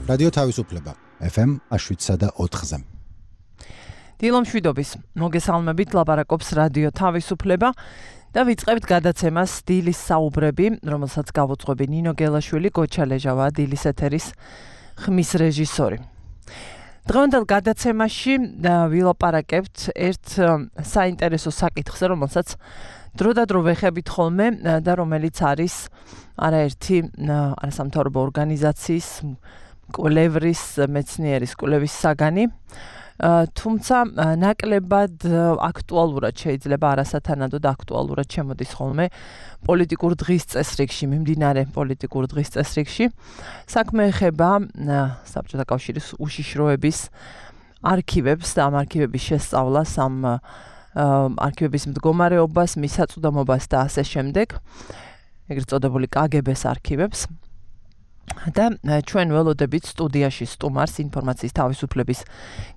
რადიო თავისუფლება FM 107.4-ზე. დილომშვიდობის მოგესალმებით, ლაპარაკობს რადიო თავისუფლება და ვიწყებთ გადაცემას დილის საუბრები, რომელსაც გავუძღვები ნინო გელაშვილი, გოჩა ლეჟავა, დილის ეთერის ხმის რეჟისორი. დღევანდელ გადაცემაში ვილაპარაკებთ ერთ საინტერესო საკითხზე, რომელსაც დროდადრო ვეხებით ხოლმე და რომელიც არის არაერთი არასამთავრობო ორგანიზაციის კვლევრის მეცნიერის კვლევის საგანი. თუმცა ნაკლებად აქტუალურად შეიძლება არასათანადოდ აქტუალურად შემოდის ხოლმე პოლიტიკურ დღის წესრიგში, მიმდინარე პოლიტიკურ დღის წესრიგში. საქმე ეხება საბჭოთა კავშირის უშიშროების არქივებს და ამ არქივების შესწავლას, ამ არქივების მდგომარეობას, მისაწვდომობას და ასე შემდეგ, ეგრეთ წოდებული KGB-ს არქივებს. და ჩვენ ველოდებით სტუდიაში სტუმარს, ინფორმაციის თავისუფლების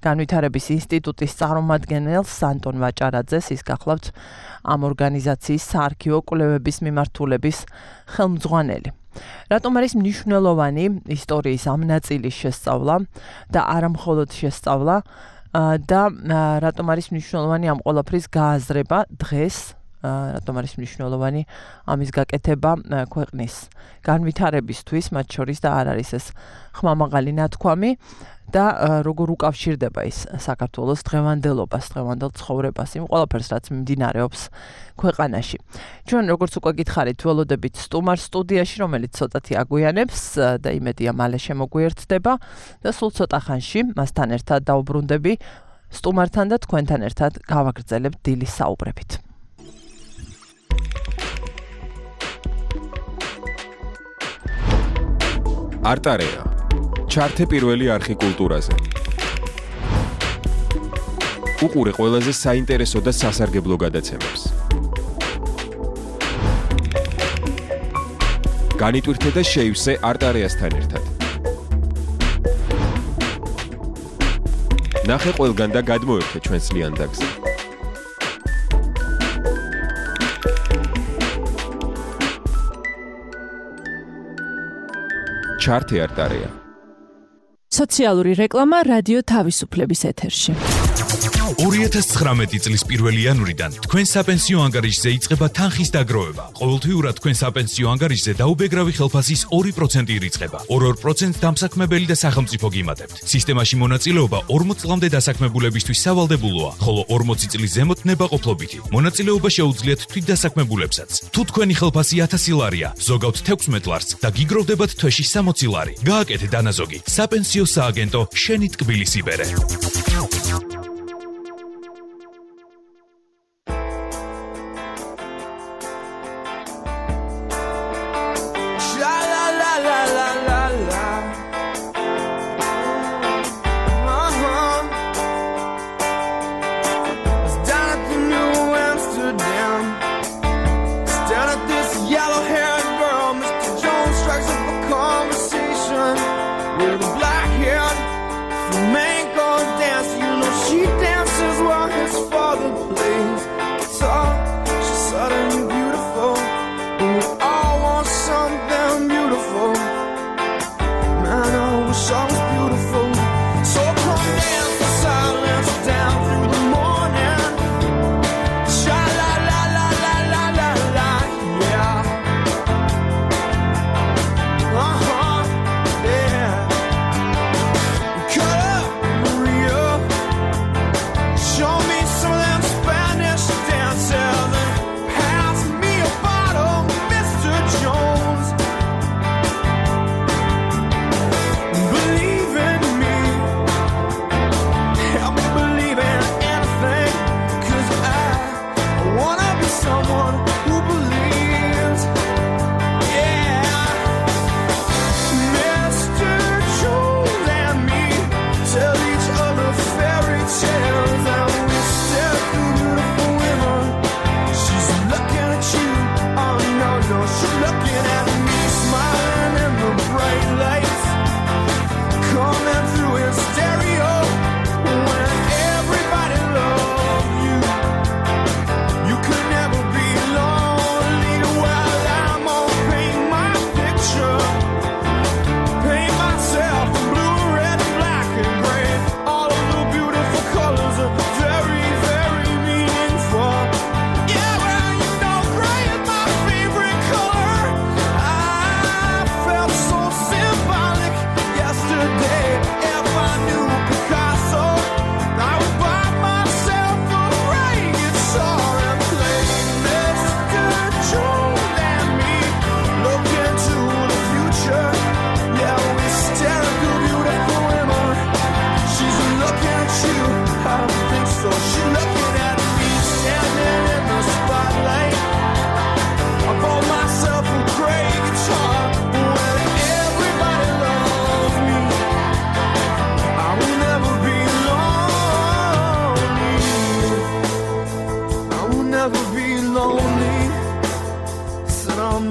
განვითარების ინსტიტუტის წარმომადგენელს ანტონ ვაჭარაძეს, ის გახლავთ ამ ორგანიზაციის საარქივო კვლევების მიმართულების ხელმძღვანელი. რატომ არის მნიშვნელოვანი ისტორიის ამ ნაწილის შესწავლა და არა მხოლოდ შესწავლა და რატომ არის მნიშვნელოვანი ამ ყველაფრის გააზრება დღეს, რატომ არის მნიშვნელოვანი ამის გაკეთება ქვეყნის განვითარებისთვის, მათ შორის და არ არის ეს ხმამაღალი ნათქვამი და როგორ უკავშირდება ის საქართველოს დღევანდელობას, დღევანდელ ცხოვრებას, იმ ყველაფერს, რაც მიმდინარეობს ქვეყანაში. ჩვენ როგორც უკვე გითხარით, ველოდებით სტუმარს სტუდიაში, რომელიც ცოტათი აგვიანებს და იმედია მალე შემოგვიერთდება და სულ ცოტა ხანში მასთან ერთად დავუბრუნდები სტუმართან და თქვენთან ერთად გავაგრძელებთ დილის საუბრებით. არტარეა. ჩართე პირველი არხი კულტურაზე. უყურე ყველაზე საინტერესო და სასარგებლო გადაცემებს. განიტვირთე და შეივსე არტარეასთან ერთად. ნახე ყველგან და გადმოერთე ჩვენს ლიანდაგზე. ჩართე არტარეა. სოციალური რეკლამა რადიო თავისუფლების ეთერში. 2019 წლის 1 იანვრიდან თქვენ საპენსიო ანგარიშზე იწყება თანხის დაგროვება. ყოველთვიურად თქვენ საპენსიო ანგარიშზე დაუბეგრავი ხელფასის 2% ირიცხება. 2% დამსაქმებელი და სახელმწიფო გიმატებთ. სისტემაში მონაწილეობა 40 წლამდე დასაქმებულებისთვის სავალდებულოა, ხოლო 40 წლის ზემოთ ნებაყოფლობითი. მონაწილეობა შეუძლიათ თვითდასაქმებულებსაც. თუ თქვენი ხელფასი 1000 ლარია, ზოგავთ 16 ლარს და გიგროვდებათ თვეში 60 ლარი. გააკეთე დანაზოგი. საპენსიო სააგენტო შენი ტკბილის იბერე. With a black hair, flamenco dance. lonely. Said I'm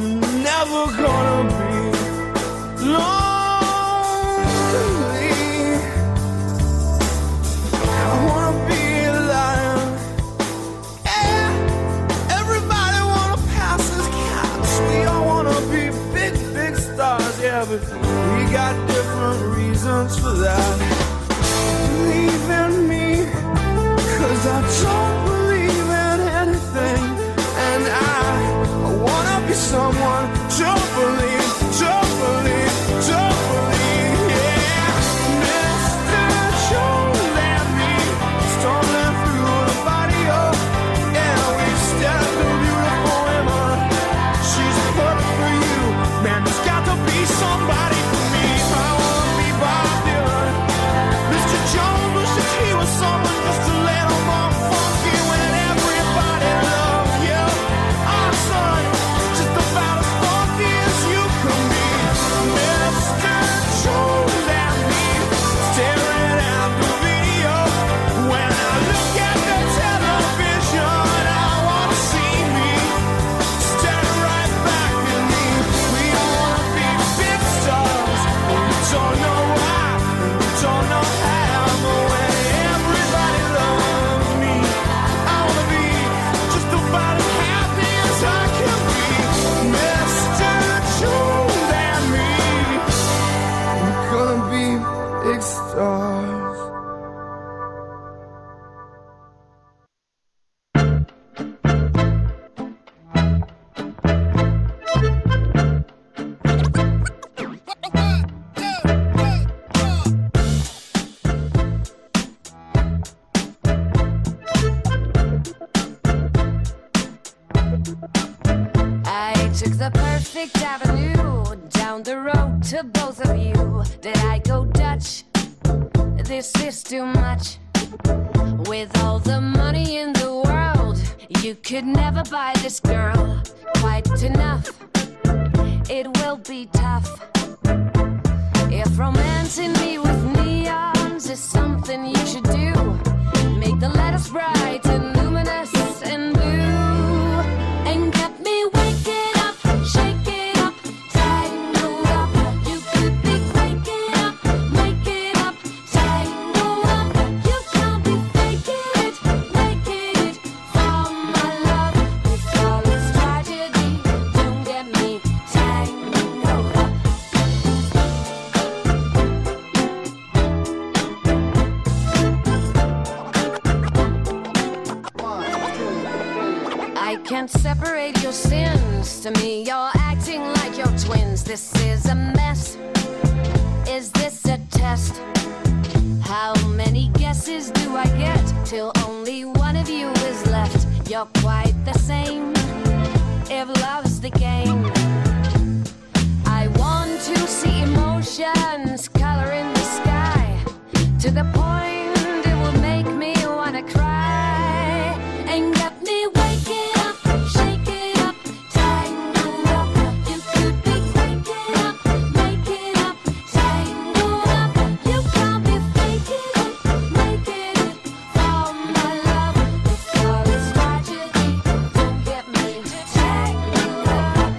never gonna be lonely. I wanna be a lion. Yeah, everybody wanna pass as cats. We all wanna be big, big stars. Yeah, but we got different reasons for that. Believe in me, 'cause I don't believe in anything. And I wanna be someone to believe, yeah. Mr. Jones and me, stumbling through the barrio. Yeah, we stepped a beautiful woman. She's perfect for you. Man, there's got to be somebody for me. I wanna be Bob Dylan. Mr. Jones wishes he was someone just a little more funky when everybody loves you. Our son, just about as funky as you can be. Mr. Jones and me, staring at the video. When I look at the television, I wanna see me staring right back at me. We all wanna be big stars, and we don't know why, and we don't know how. But when everybody loves me, I wanna be just about as happy as I can be. Mr. Jones and me, we're gonna be big stars. I took the perfect avenue down the road to both of you. Did I go Dutch? This is too much. With all the money in the world, you could never buy this girl quite enough. It will be tough. If romancing me with neons is something you should do, make the letters bright and luminous and blue, and get me waking up, shaking up, tangled up. You could be waking up, making up, tangled up. You can't be faking it, making it from my love. With all its tragedy, don't get me tangled up. I can't separate your sins. To me, you're acting like your twins. This is a mess. Is this a test? How many guesses do I get till only one of you is left? You're quite the same. If love's the game, I want to see emotions color in the sky to the point it will make me wanna cry and get me waking up, shaking up, tangled up. You could be waking up, making up, tangled up. You can't be faking it, making it from my love. With all its tragedy, don't get me tangled up,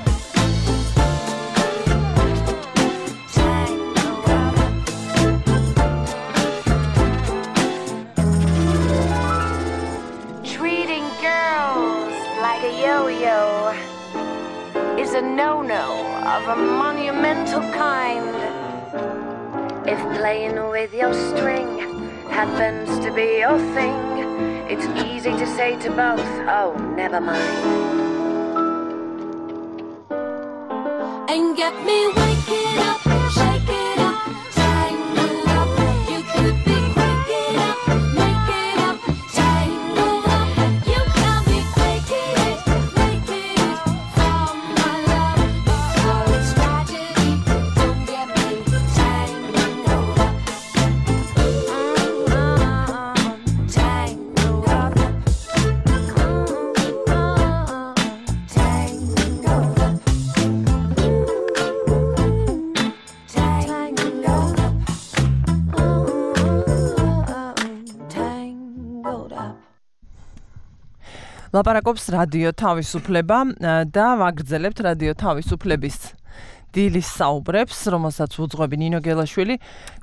tangled up. Treating girls like a yo-yo is a no-no of a monumental kind. If playing with your string happens to be your thing, it's easy to say to both, oh, never mind. And get me waking up, shaking up, tangled up. You could be waking up, making up, tangled up. You can't be faking it, making it from my love. All its tragedy, don't get me tangled up, tangled up, tangled up. ლაპარაკობს რადიო თავისუფლება და ვაგრძელებთ რადიო თავისუფლების დილის საუბრებს, რომელსაც უძღვები ნინო გელაშვილი,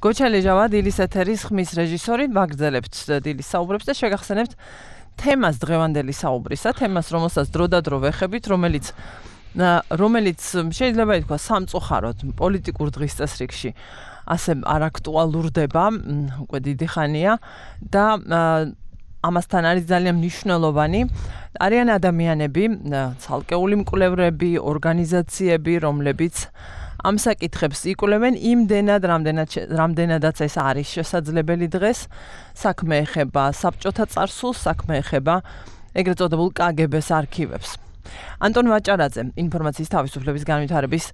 გოჩა ლეჟავა დილის ეთერის ხმის რეჟისორი, ვაგრძელებთ დილის საუბრებს და შეგახსენებთ თემას დღევანდელი საუბრისა, თემას, რომელსაც დრო და დრო ვეხებით, რომელიც შეიძლება ითქვა სამწუხაროდ პოლიტიკურ დღის წესრიგში ასე არ აქტუალურდება, უკვე დიდი ხანია და ამასთან არის ძალიან მნიშვნელოვანი. არიან ადამიანები, ცალკეული მკვლევრები, ორგანიზაციები, რომლებიც ამ საკითხებს იკვლევენ იმდენად, რამდენადაც ეს არის შესაძლებელი დღეს. საქმე ეხება საბჭოთა წარსულს, საქმე ეხება ეგრეთ წოდებულ კგბ-ს არქივებს. ანტონ ვაჭარაძე, ინფორმაციის თავისუფლების განვითარების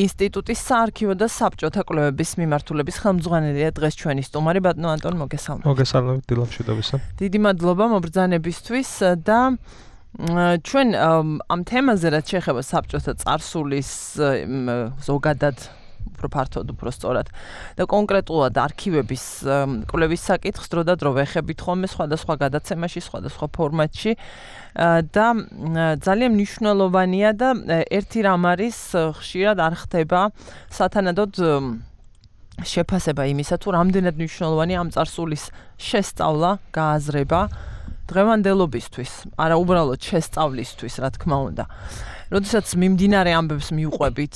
ინსტიტუტის საარქივო და საბჭოთა კვლევების მიმართულების ხელმძღვანელია დღეს ჩვენი სტუმარი. ბატონო ანტონ, მოგესალმებით. მოგესალმებით დილამშვიდობისა. დიდი მადლობა მობრძანებისთვის და ჩვენ ამ თემაზე რაც შეეხება საბჭოთა წარსულის ზოგადად უფრო ფართოდ, უფრო სწორად და კონკრეტულად არქივების კვლევის საკითხს დრო და დრო ვეხებით ხოლმე სხვადასხვა გადაცემაში, სხვადასხვა ფორმატში და ძალიან მნიშვნელოვანია და ერთი რამ არის ხშირად არ ხდება სათანადოდ შეფასება იმისა, თუ რამდენად მნიშვნელოვანია ამ წარსულის შესწავლა, გააზრება დღევანდელობისთვის, არა უბრალოდ შესწავლისთვის, რა თქმა უნდა. როდესაც მიმდინარე ამბებს მივყვებით,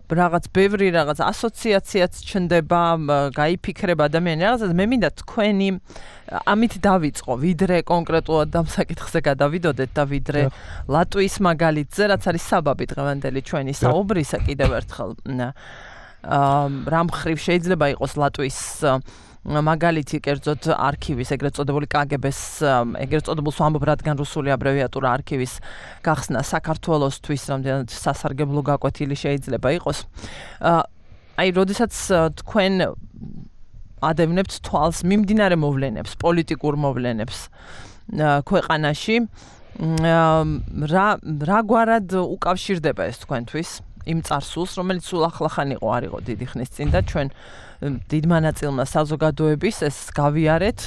რაღაც ბევრი რაღაც ასოციაციაც ჩნდება, გაიფიქრება ადამიანი რაღაცას, მე მინდა თქვენი ამით დავიწყო, ვიდრე კონკრეტულად ამ საკითხზე გადავიდოდეთ და ვიდრე ლატვიის მაგალითზე, რაც არის საბაბი დღევანდელი ჩვენი საუბრისა კიდევ ერთხელ. რა მხრივ შეიძლება იყოს ლატვიის მაგალითი კერძოდ არქივის, ეგრეთ წოდებული კგბ-ს, ეგრეთ წოდებულს ვამბობ, რადგან რუსული აბრევიატურა არქივის გახსნა საქართველოსთვის, რამდენად სასარგებლო გაკვეთილი შეიძლება იყოს. აი, როდესაც თქვენ ადევნებთ თვალს მიმდინარე მოვლენებს, პოლიტიკურ მოვლენებს ქვეყანაში, რა გვარად უკავშირდება ეს თქვენთვის იმ წარსულს, რომელიც სულ ახლახან არ იყო დიდი ხნის წინ და ჩვენ დიდმა ნაწილმა საზოგადოების ეს გავიარეთ.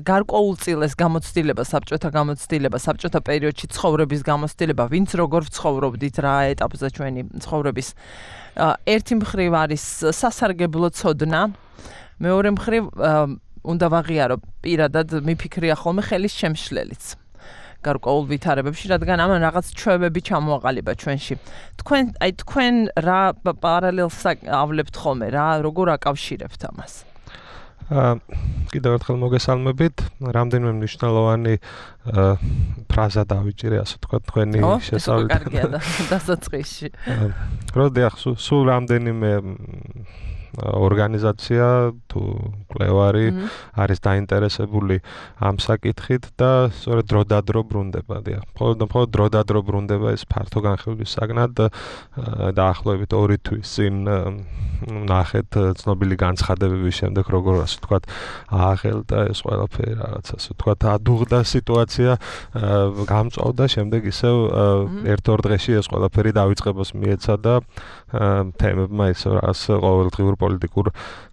გარკვეულწილ ეს გამოცდილება, საბჭოთა პერიოდში ცხოვრების გამოცდილება, ვინც როგორ ცხოვრობდით, რა ეტაპზე ჩვენი ცხოვრების. ერთი მხრივ არის სასარგებლო ცოდნა, მეორე მხრივ უნდა ვაღიარო პირადად მიფიქრია ხოლმე ხელის შემშლელიც. გარკვეულ ვითარებებში, რადგან ამან რაღაც ჩვევები ჩამოაყალიბა ჩვენში. თქვენ რა პარალელს ავლებთ ხოლმე, როგორ აკავშირებთ ამას? კიდევ ერთხელ მოგესალმებით. რამდენიმე მნიშვნელოვანი ფრაზა დავიჭირე, ასე თქვა, თქვენი შესწავლით. კარგია დასაწყისში. როდეახ სულ რამდენიმე ორგანიზაცია თუ კვლევარი არის დაინტერესებული ამ საკითხით და სწორედ დრო და დრო ბრუნდება. მხოლოდ დრო და დრო ბრუნდება ეს ფართო განხილვის საგნად დაახლოებით 2 თვის წინ ნახეთ ცნობილი განცხადებების შემდეგ როგორ ასე ვთქვათ ააღელდა ეს ყველაფერი რაღაც ასე ვთქვათ ადუღდა სიტუაცია გამწვავდა შემდეგ ისევ ერთ-ორ დღეში ეს ყველაფერი დავიწყებას მიეცა და თემებმა ისევ რაღაც ყოველდღიურ პოლიტიკურ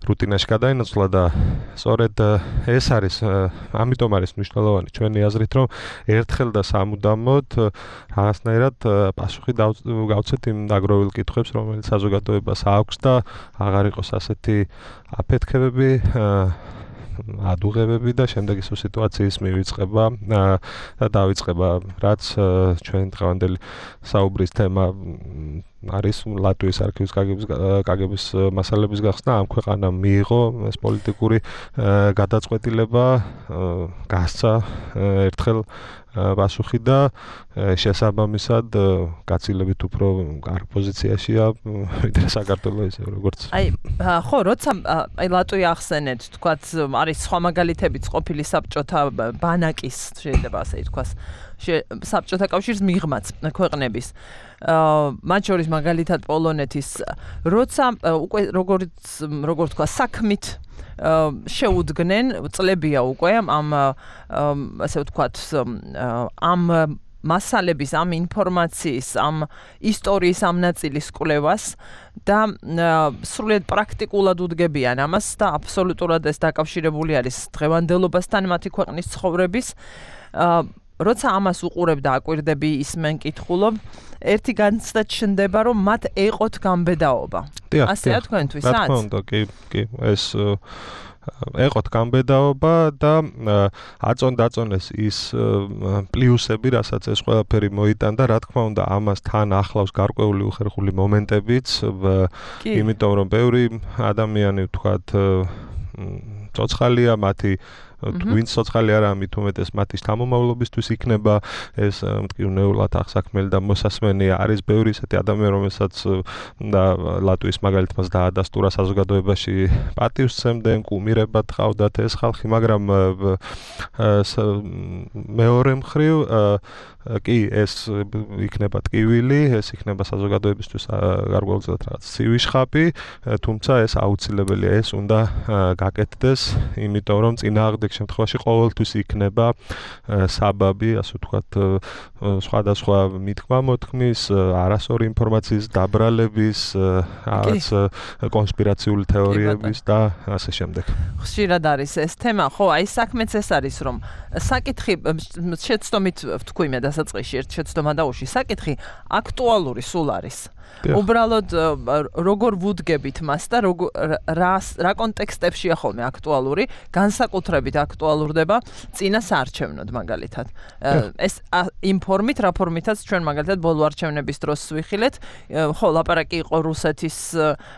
რუტინაში გადაინაცვლა და სწორედ ეს არის ამიტომ არის მნიშვნელოვანი ჩვენი აზრით რომ ერთხელ და სამუდამოდ რაღაცნაირად პასუხი გავცეთ იმ დაგროვილ კითხვებს რომელიც საზოგადოებას აქვს და აღარ იყოს ასეთი აფეთქებები ადუღებები და შემდეგ ისო სიტუაციის მივიწყება და დავიწყება რაც ჩვენ დღევანდელი საუბრის თემა არის ლატვიის არქივის კგბ-ს მასალების გახსნა ამ ქვეყანამ მიიღო ეს პოლიტიკური გადაწყვეტილება გასცა ერთხელ პასუხი და შესაბამისად გაცილებით უფრო კარგ პოზიციაშია ვიდრე საქართველოს ისე როგორც ხო როცა ლატვია ახსენეთ თქვათ არის სხვა მაგალითებიც ყოფილი საბჭოთა ბანაკის შეიძლება ასე ითქვას საბჭოთა კავშირის მიღმაც ქვეყნების მათ შორის მაგალითად პოლონეთის როცა უკვე როგორ თქვა საქმით შეუდგნენ წლებია უკვე ამ ასე ვთქვათ ამ მასალების ამ ინფორმაციის ამ ისტორიის ამ ნაწილის კვლევას და სრულიად პრაქტიკულად უდგებიან ამას და აბსოლუტურად ეს დაკავშირებული არის დღევანდელობასთან მათი ქვეყნის ცხოვრების როცა ამას უყურებ და აკვირდები ისმენ კითხულობ, ერთი განცდა ჩნდება, რომ მათ ეყოთ გამბედაობა. ასეა თქვენთვისაც? რა თქმა უნდა, კი, ეს ეყოთ გამბედაობა და აწონ-დაწონეს ის პლუსები, რასაც ეს ყველაფერი მოიტანდა, რა თქმა უნდა, ამას თან ახლავს გარკვეული უხერხული მომენტებიც, იმიტომ რომ ბევრი ადამიანი ვთქვათ ცოცხალია, მათი ვინც ცოცხალი არა, მით უმეტეს მათი შთამომავლობისთვის იქნება ეს მტკივნეულად აღსაქმელი და მოსასმენი. არის ბევრი ისეთი ადამიანი, რომელსაც და ლატვიის მაგალითად მას დაადასტურა საზოგადოებაში პატივს სცემდნენ, კუმირებად ყავდათ ეს ხალხი, მაგრამ მეორე მხრივ კი ეს იქნება ტკივილი, ეს იქნება საზოგადოებისთვის გარკვეულწილად რაღაც ცივი თუმცა ეს აუცილებელია, ეს უნდა გაკეთდეს, იმიტომ რომ წინააღმდეგ შემთხვევაში ყოველთვის იქნება საბაბი, ასე ვთქვათ, სხვადასხვა მითქმა-მოთქმის, არასწორი ინფორმაციის დაბრალების, რაღაც კონსპირაციული თეორიების და ასე შემდეგ. ხშირად არის ეს თემა, ხო, აი საქმეც ეს არის, რომ საკითხი შეცდომით ვთქვი მე დასაწყისში ერთ შეცდომა დაუში, საკითხი აქტუალური სულ არის. უბრალოდ როგორ ვუდგებით მას და რა კონტექსტებშია ხოლმე აქტუალური, განსაკუთრებით აქტუალურდება წინა საარჩევნოდ მაგალითად. ეს იმ ფორმით, რა ფორმითაც ჩვენ მაგალითად ბოლო არჩევნების დროს ვიხილეთ, ხო, ლაპარაკი იყო რუსეთის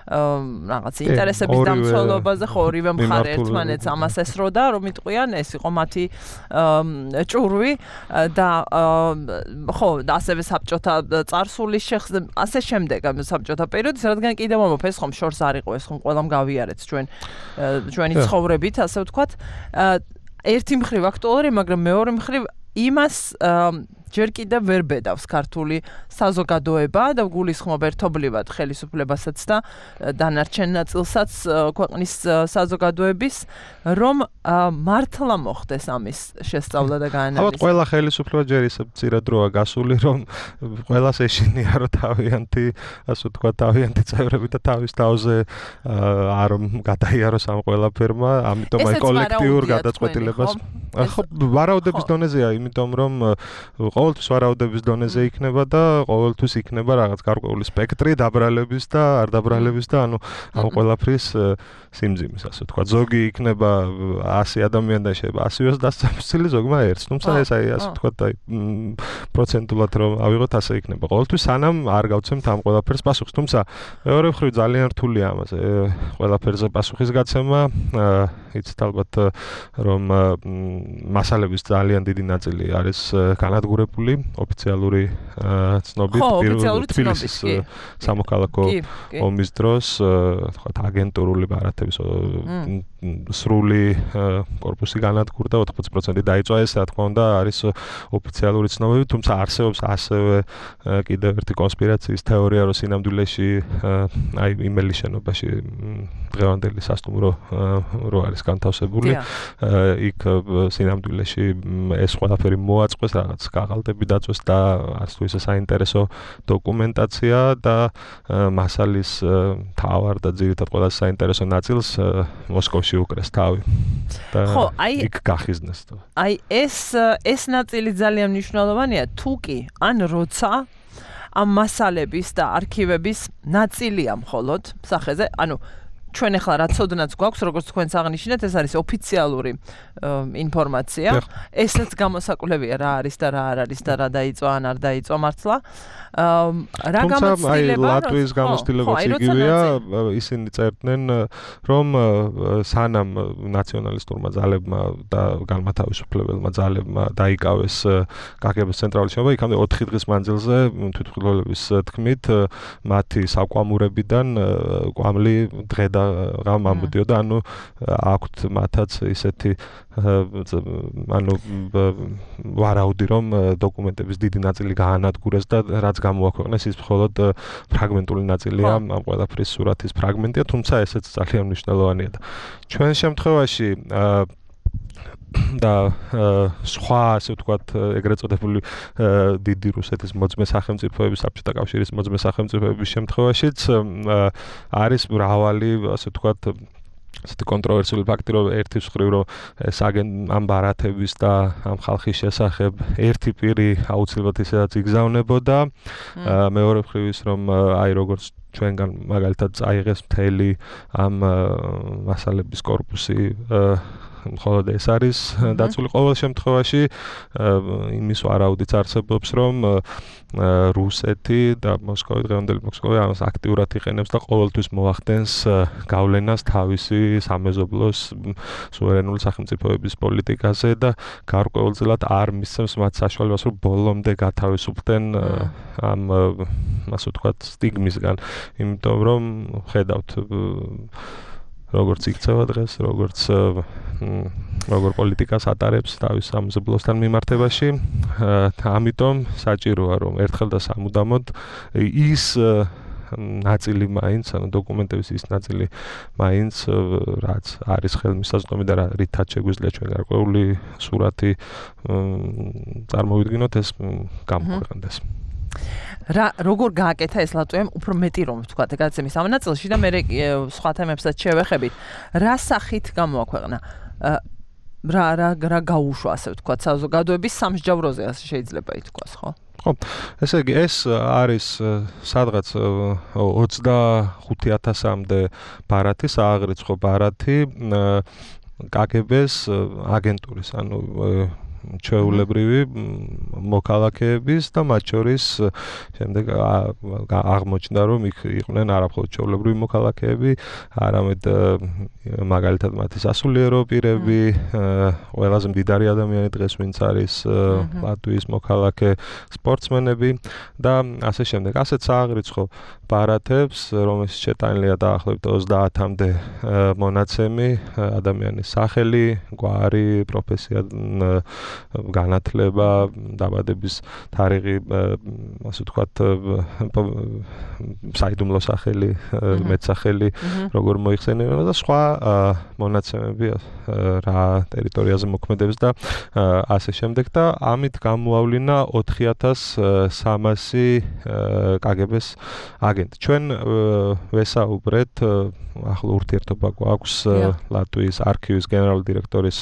რაღაც ინტერესების დამცველობაზე, ხო, ორივე მხარე ერთმანეთს ამას ესროდა, რომ იტყვიან, ეს იყო მათი ჭურვი და ხო, ასევე საბჭოთა წარსულის შეხსება, ასე შემდეგ. საბჭოთა პერიოდის, რადგან კიდევ მომოფეს ხომ შორს არ იყო ეს ხომ ყველამ გავიარეთ ჩვენი ცხოვრებით, ასე ვთქვათ. ერთი მხრივ აქტუალური, მაგრამ მეორე მხრივ იმას ჯერ კიდევ ვერ ბედავს ქართული საზოგადოება და გულისხმობ ერთობლივად ხელისუფლებასაც და დანარჩენ ნაწილსაც ქვეყნის საზოგადოების, რომ მართლა მოხდეს ამის შესწავლა და გაანალიზა. ალბათ ყველა ხელისუფლება ჯერ ისე მცირე დროა გასული, რომ ყველას ეშინია, რომ თავიანთი, ასე ვთქვათ, თავიანთი წევრები და თავის თავზე არ გადაიაროს ამ ყველაფერმა, ამიტომ აი კოლექტიურ გადაწყვეტილებას. ხო, ვარაუდების დონეზეა, იმიტომ რომ ყოველთვის ვარაუდების დონეზე იქნება და ყოველთვის იქნება რაღაც გარკვეული სპექტრი დაბრალების და არ დაბრალების და ანუ ამ ყველაფრის სიმძიმის, ასე ვთქვათ. ზოგი იქნება 100 ადამიანი და შეიძლება 100-ს დასწამწილი, ზოგმა ერთს. თუმცა ეს აი ასე ვთქვათ, აი პროცენტულად რომ ავიღოთ, ასე იქნება. ყოველთვის სანამ არ გავცემთ ამ ყველაფერს პასუხს. თუმცა მეორე მხრივ ძალიან რთულია ამაზე ყველაფერზე პასუხის გაცემა. იცით ალბათ რომ მასალების ძალიან დიდი ნაწილი არის განადგურებული ოფიციალური ცნობით, თბილისის სამოქალაქო ომის დროს, თქვათ აგენტურული ბარათების სრული корпуსი განადგურდა, 80% დაიწვა, ეს რა თქმა უნდა არის ოფიციალური ცნობები, თუმცა არსებობს ასევე კიდევ ერთი კონსპირაციის თეორია, რომ სინამდვილეში აი იმელის შენობაში დღევანდელი სასტუმრო რო არის განთავსებული, იქ სინამდვილეში ეს ყველაფერი მოაწყვეს, რაღაც კაღალდები დაწვეს და არც თუ ისე საინტერესო დოკუმენტაცია და მასალის თავარ და ძირითადად ყველა საინტერესო ნაწილს მოსკოვში უკრეს თავი. ხო, აი იქ გახიზნეს. აი ეს ნაწილი ძალიან მნიშვნელოვანია, თუ კი ან როცა ამ მასალების და არქივების ნაწილია მხოლოდ სახეზე, ანუ ჩვენ ახლა რა ცოდნაც გვაქვს, როგორც თქვენს აღნიშნეთ, ეს არის ოფიციალური ინფორმაცია. ესაც გამოსაკვლევია რა არის და რა არ არის და რა დაიწვა ან არ დაიწვა მართლა. რა გამოცდილება ლატვიის გამოცდილებაც იგივეა, ისინი წერდნენ, რომ სანამ ნაციონალისტურმა ძალებმა და განმათავისუფლებელმა ძალებმა დაიკავეს კგბ-ს ცენტრალური შენობა, იქამდე 4 დღის მანძილზე თვითმხილველების თქმით, მათი საკვამურებიდან კვამლი დღე და რამ ამოდიოდა, ანუ აქვთ მათაც ისეთი ანუ ვარაუდი, რომ დოკუმენტების დიდი ნაწილი გაანადგურეს და რაც გამოაქვეყნეს, ის მხოლოდ ფრაგმენტული ნაწილია, ამ ყველაფრის სურათის ფრაგმენტია, თუმცა ესეც ძალიან მნიშვნელოვანია და ჩვენ შემთხვევაში და სხვა, ასე ვთქვათ, ეგრეთ წოდებული დიდი რუსეთის მოძმე სახელმწიფოების, საბჭოთა კავშირის მოძმე სახელმწიფოების შემთხვევაშიც არის მრავალი, ასე ვთქვათ, ასეთი კონტროვერსიული ფაქტი, რომ ერთი მხრივ რომ ეს ამ ბარათების და ამ ხალხის შესახებ ერთი პირი აუცილებლად ისედაც იგზავნებოდა. მეორე მხრივ ის რომ აი როგორც ჩვენგან მაგალითად წაიღეს მთელი ამ მასალების კორპუსი მხოლოდ ეს არის დაცული ყოველ შემთხვევაში იმის ვარაუდიც არსებობს რომ რუსეთი და მოსკოვი დღევანდელი მოსკოვი ამას აქტიურად იყენებს და ყოველთვის მოახდენს გავლენას თავისი სამეზობლოს სუვერენული სახელმწიფოების პოლიტიკაზე და გარკვეულწილად არ მისცემს მათ საშუალებას რომ ბოლომდე გათავისუფლდნენ ამ ასე ვთქვათ სტიგმისგან იმიტომ რომ ხედავთ როგორც იქცევა დღეს, როგორც როგორ პოლიტიკას ატარებს თავის სამეზობლოსთან მიმართებაში. ამიტომ საჭიროა რომ ერთხელ და სამუდამოდ ის ნაწილი მაინც, ანუ დოკუმენტების ის ნაწილი მაინც რაც არის ხელმისაწვდომი და რითაც შეგვიძლია ჩვენ გარკვეული სურათი წარმოვიდგინოთ ეს გამოქვეყნდეს. როგორ გააკეთა ეს ლატვიამ უფრო მეტი რომ ვთქვათ გადაცემის ამ ნაწილში და მე სხვა თემებსაც შევეხებით რა სახით გამოაქვეყნა რა გაუშვა ასე ვთქვათ საზოგადოების სამსჯავროზე ასე შეიძლება ითქვას ხო ხო ესე იგი ეს არის სადღაც 25000-მდე ბარათი სააღრიცხვო ბარათი KGB-ს აგენტურის ანუ ჩვეულებრივი მოქალაქეების და მათ შორის შემდეგ აღმოჩნდა რომ იქ იყვნენ არამხოლოდ ჩვეულებრივი მოქალაქეები, არამედ მაგალითად მათი სასულიერო პირები, ყველაზე მდიდარი ადამიანი დღეს ვინც არის ლატვიის მოქალაქე, სპორტსმენები და ასე შემდეგ. ასეთ სააღრიცხვო ბარათებს, რომელშიც შეტანილია დაახლოებით 30-მდე მონაცემი, ადამიანის სახელი, გვარი, პროფესია განათლება, დაბადების თარიღი, ასე ვთქვათ, საიდუმლო სახელი, მეტსახელი, როგორ მოიხსენიება და სხვა მონაცემები რა ტერიტორიაზე მოქმედებს და ასე შემდეგ და ამით გამოავლინა 4300 KGB-ს აგენტი. ჩვენ ვესაუბრეთ ახლა ურთიერთობა გვაქვს ლატვიის არქივის გენერალური დირექტორის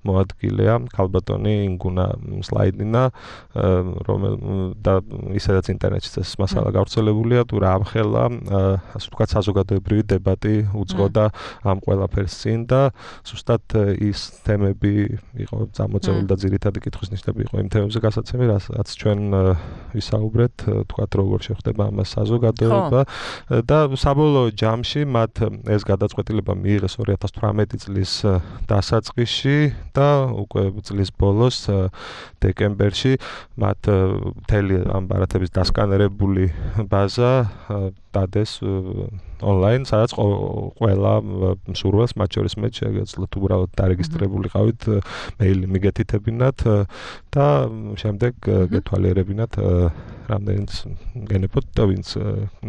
მოადგილეა ქალბატონი ინგუნა სლაიდინა და ისედაც ინტერნეტში ეს მასალა გავრცელებულია თუ რა ამხელა ასე ვთქვათ საზოგადოებრივი დებატი უძღოდა ამ ყველაფერს წინ და ზუსტად ის თემები იყო წამოწეული და ძირითადი კითხვის ნიშნები იყო იმ თემებზე გასაცემი რაც ჩვენ ვისაუბრეთ ვთქვათ როგორ შეხვდება ამას საზოგადოება და საბოლოო ჯამში მათ ეს გადაწყვეტილება მიიღეს 2018 წლის დასაწყისში და უკვე წლის ბოლოს დეკემბერში მათ მთელი ამ ბარათების დასკანერებული ბაზა დადეს ონლაინ, სადაც ყველა მსურველს, მათ შორის მე შეგეძლოთ უბრალოდ დარეგისტრებულიყავით, მეილი მიგეთითებინათ და შემდეგ გეთვალიერებინათ რამდენიც გენებოთ და ვინც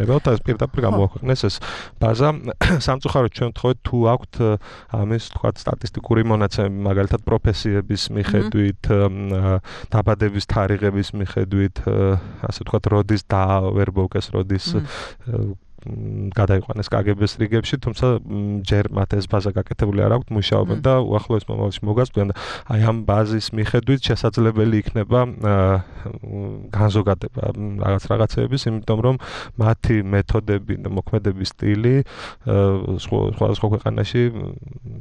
ნებავთ, ეს პირდაპირ გამოაქვეყნეს ეს ბაზა. სამწუხაროდ ჩვენ ვთხოვეთ თუ აქვთ ამის თქვათ სტატისტიკური მონაცემები, მაგალითად პროფესიების მიხედვით, დაბადების თარიღების მიხედვით, ასე ვთქვათ, როდის დაავერბოვკეს, როდის გადაიყვანეს KGB-ს რიგებში, თუმცა ჯერ მათ ეს ბაზა გაკეთებული არ აქვთ, მუშაობენ და უახლოეს მომავალში მოგასწრებენ და აი ამ ბაზის მიხედვით შესაძლებელი იქნება განზოგადება რაღაცეების, იმიტომ რომ მათი მეთოდები და მოქმედების სტილი სხვადასხვა ქვეყანაში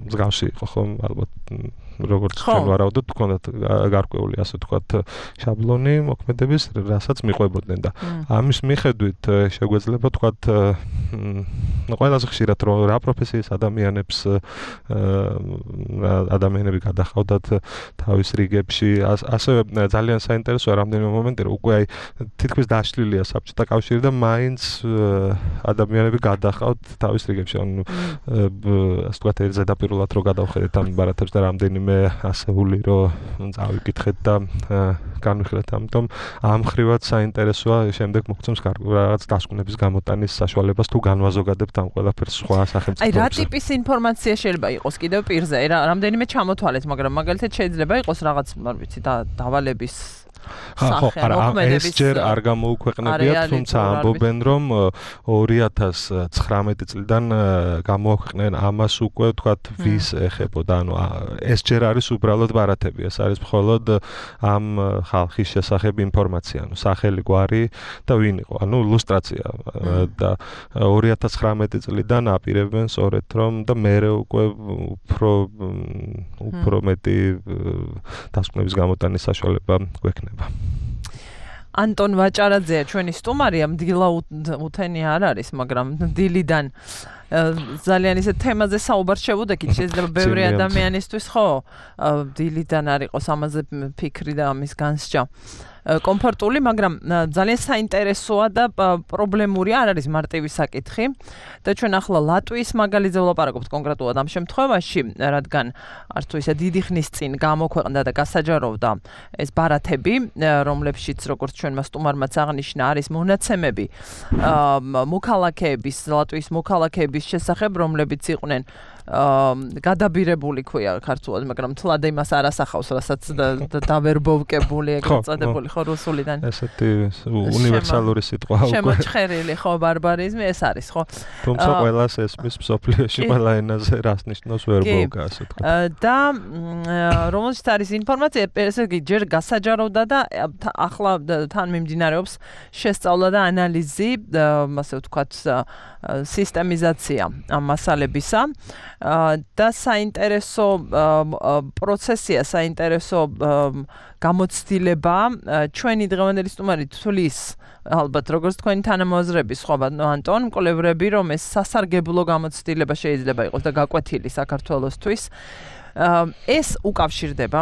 მსგავსი იყო, ხო, ალბათ როგორც ჩვენ ვარაუდობთ, თქვათ გარკვეული ასე ვთქვათ შაბლონი მოქმედების, რასაც მიყვებოდნენ და ამის მიხედვით შეგვეძლება ვთქვათ ყველაზე ხშირად რა პროფესიის ადამიანები გადახავდათ თავის რიგებში, ასევე ძალიან საინტერესოა რამდენიმე მომენტი, რომ უკვე აი თითქმის დაშლილია საბჭოთა კავშირი და მაინც ადამიანები გადახავთ თავის რიგებში, ანუ ასე ვთქვათ ზედაპირულად რო გადავხედეთ ამ ბარათებს და რამდენიმე ასეული რომ წავიკითხეთ და განვიხილეთ, ამიტომ ამ ხრივად საინტერესოა შემდეგ მოგცემს რაღაც დასკვნების გამოტანის საშუალებას თუ განვაზოგადებთ ამ ყველაფერს სხვა სახელმწიფოებში. აი რა ტიპის ინფორმაცია შეიძლება იყოს კიდევ პირზე? რამდენიმე ჩამოთვალეთ, მაგრამ მაგალითად შეიძლება იყოს რაღაც, არ ვიცი, დავალების სახე ეს ჯერ არ გამოუქვეყნებიათ, თუმცა ამბობენ, რომ 2019 წლიდან გამოაქვეყნენ ამას უკვე თქვათ ვის ეხებოდა, ანუ ეს ჯერ არის უბრალოდ ბარათები, ეს არის მხოლოდ ამ ხალხის შესახებ ინფორმაცია, ანუ სახელი, გვარი და ვინ იყო, ანუ ილუსტრაცია და 2019 წლიდან აპირებენ სწორედ რომ და მერე უკვე უფრო მეტი დასკვნების გამოტანის საშუალება გვექნება. ანტონ ვაჭარაძეა ჩვენი სტუმარი, ამ დილა უთენი არ არის, მაგრამ დილიდან ძალიან ისე თემაზე საუბარ შევუდექით, შეიძლება ბევრი ადამიანისთვის ხო დილიდან არ იყოს ამაზე ფიქრი და ამის განსჯა კომფორტული, მაგრამ ძალიან საინტერესოა და პრობლემური არ არის მარტივი საკითხი და ჩვენ ახლა ლატვიის მაგალითზე ვლაპარაკობთ კონკრეტულად ამ შემთხვევაში, რადგან არც თუ ისე დიდი ხნის წინ გამოქვეყნდა და გასაჯაროვდა ეს ბარათები, რომლებშიც როგორც ჩვენმა სტუმარმაც აღნიშნა, არის მონაცემები მოქალაქეების, ლატვიის მოქალაქეების შესახებ, რომლებიც იყვნენ გადაბირებული ქვია ქართულად, მაგრამ თლად იმას არ ასახავს, რასაც დავერბოვკებული, ეგრეთ წოდებული ხო რუსულიდან. ესეთი უნივერსალური სიტყვა უკვე. შემოჩხერილი ხო ბარბარიზმი ეს არის ხო? თუმცა ყველას ესმის მსოფლიოში ყველა ენაზე რას ნიშნავს ვერბოვკა, ასე თქვა. და რომელშიც არის ინფორმაცია, ესე იგი ჯერ გასაჯაროვდა და ახლა თან მიმდინარეობს შესწავლა და ანალიზი, ასე ვთქვათ, სისტემიზაცია ამ მასალებისა. და საინტერესო პროცესია, საინტერესო გამოცდილება ჩვენი დღევანდელი სტუმარი თulis ალბათ როგორც თქვენი თანამოაზრების ხო ანტონ მკვლევრები რომ ეს სასარგებლო გამოცდილება შეიძლება იყოს და გაკვეთილი საქართველოსთვის ეს უკავშირდება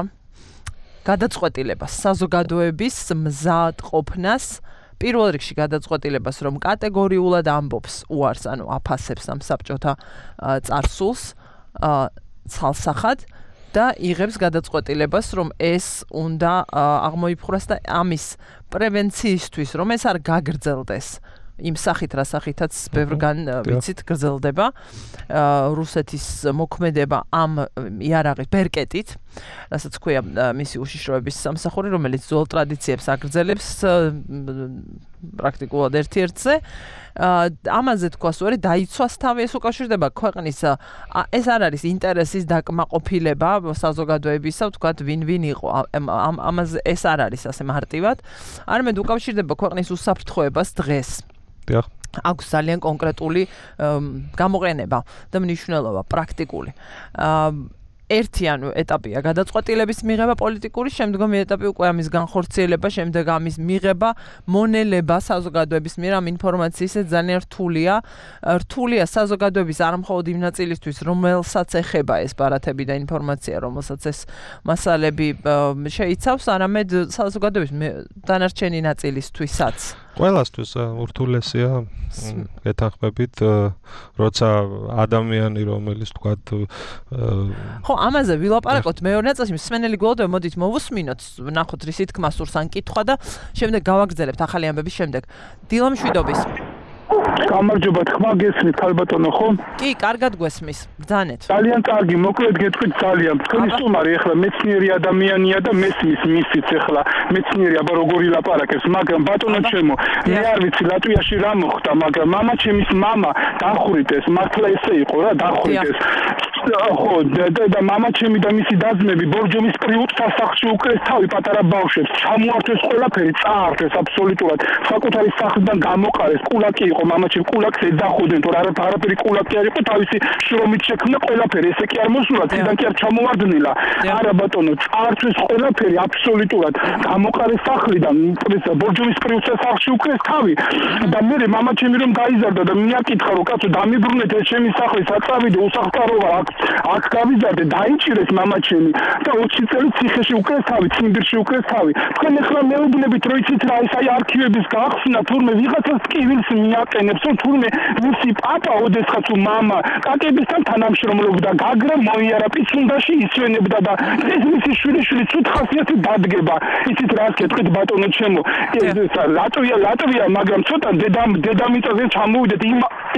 გადაწყვეტილებას საზოგადოების მზად ყოფნას პირველ რიგში გადაწყვეტილებას რომ კატეგორიულად ამბობს უარს ანუ აფასებს ამ საბჭოთა წარსულს ცალსახად და იღებს გადაწყვეტილებას რომ ეს უნდა აღმოიფხვრას და ამის პრევენციისთვის რომ ეს არ გაგრძელდეს იმ სახით რა სახითაც ბევრგან ვიცით გრძელდება რუსეთის მოქმედება ამ იარაღის ბერკეტით რასაც ქვია მისი უშიშროების სამსახური რომელიც ძველ ტრადიციებს აგრძელებს პრაქტიკულად ერთ-ერთზე ამაზე თქვა სწორი დაიცვას თავი ეს უკავშირდება ქვეყნის ეს არ არის ინტერესის დაკმაყოფილება საზოგადოებისა თქვა ვინ იყო ამაზე ეს არ არის ასე მარტივად არამედ უკავშირდება ქვეყნის უსაფრთხოებას დღეს აქვს ძალიან კონკრეტული გამოყენება და მნიშვნელობა პრაქტიკული ერთიანი ეტაპია გადაწყვეტილების მიღება პოლიტიკური, შემდგომი ეტაპი უკვე ამის განხორციელება, შემდეგ ამის მიღება, მონელება საზოგადოების მიერ ამ ინფორმაციის ძალიან რთულია. რთულია საზოგადოების არ მხოლოდ იმ ნაწილისთვის, რომელსაც ეხება ეს ბარათები და ინფორმაცია, რომელსაც ეს მასალები შეიცავს, არამედ საზოგადოების დანარჩენი ნაწილისთვისაც. ყველასთვის ურთულესია ეთანხმებით, როცა ადამიანი რომელიც თქვათ ხო, ამაზე ვილაპარაკოთ მეორე ნაწილში, მსმენელი გველოდები, მოდით მოვუსმინოთ, ნახოთ რის თქმა სურს ან კითხვა და შემდეგ გავაგრძელებთ ახალი ამბების შემდეგ. დილა მშვიდობის. გამარჯობა, თქმა გესმით, ქალბატონო, ხო? კი, კარგად გვესმის. ბრძანეთ. ძალიან კარგი, მოკლედ გეტყვით ძალიან. თქვენი სტუმარი ახლა მეცნიერი ადამიანია და მესმის მისიც ახლა მეცნიერი აბა როგორ ილაპარაკებს, მაგრამ ბატონო ჩემო, მე არ ვიცი ლატვიაში რა მოხდა, მაგრამ მამა ჩემის მამა დახვრიტეს, მართლა ესე იყო რა, დახვრიტეს. ხო, და მამა ჩემი და მისი დაძმები ბორჯომის პრიუთ სასახლში უკრეს თავი პატარა ბავშვებს, ჩამოართვეს ყველაფერი, წაართვეს აბსოლუტურად. საკუთარი სახლიდან გამოყარეს, კულაკი იყო მამაჩემ კულაკს ეძახოდნენ, თორე არაფერი კულაკი არ იყო, თავისი შრომით შექმნა ყველაფერი, ესე კი არ მოსულა, წიდან კი არ ჩამოვარდნილა. არა ბატონო, წაართვეს ყველაფერი აბსოლუტურად. გამოყარეს სახლიდან, ბორჯომის პრიუთ სასახლში უკრეს თავი. და მე მამაჩემი რომ გაიზარდა და მიაკითხა რომ კაცო დამიბრუნეთ ეს ჩემი სახლი, საწავიდე უსახლკაროა აქ გავიზარდე, დაიჭირეს მამაჩემი და 20 წელი ციხეში უკრეს თავი, ციმბირში უკრეს თავი. თქვენ ახლა მეუბნებით რომ იცით რა, ეს აი არქივების გახსნა, თურმე ვიღაცას ტკივილს მიაყენებს, რომ თურმე მისი პაპა, ოდესღაც მამა, კაკებისთან თანამშრომლობდა, გაგრა მოიარა პიცუნდაში ისვენებდა და ეს მისი შვილიშვილი ცუდ ხასიათით დადგება. იცით რას გეტყვით ბატონო ჩემო, ლატვია, მაგრამ ცოტა დედამიწაზე ჩამოვიდეთ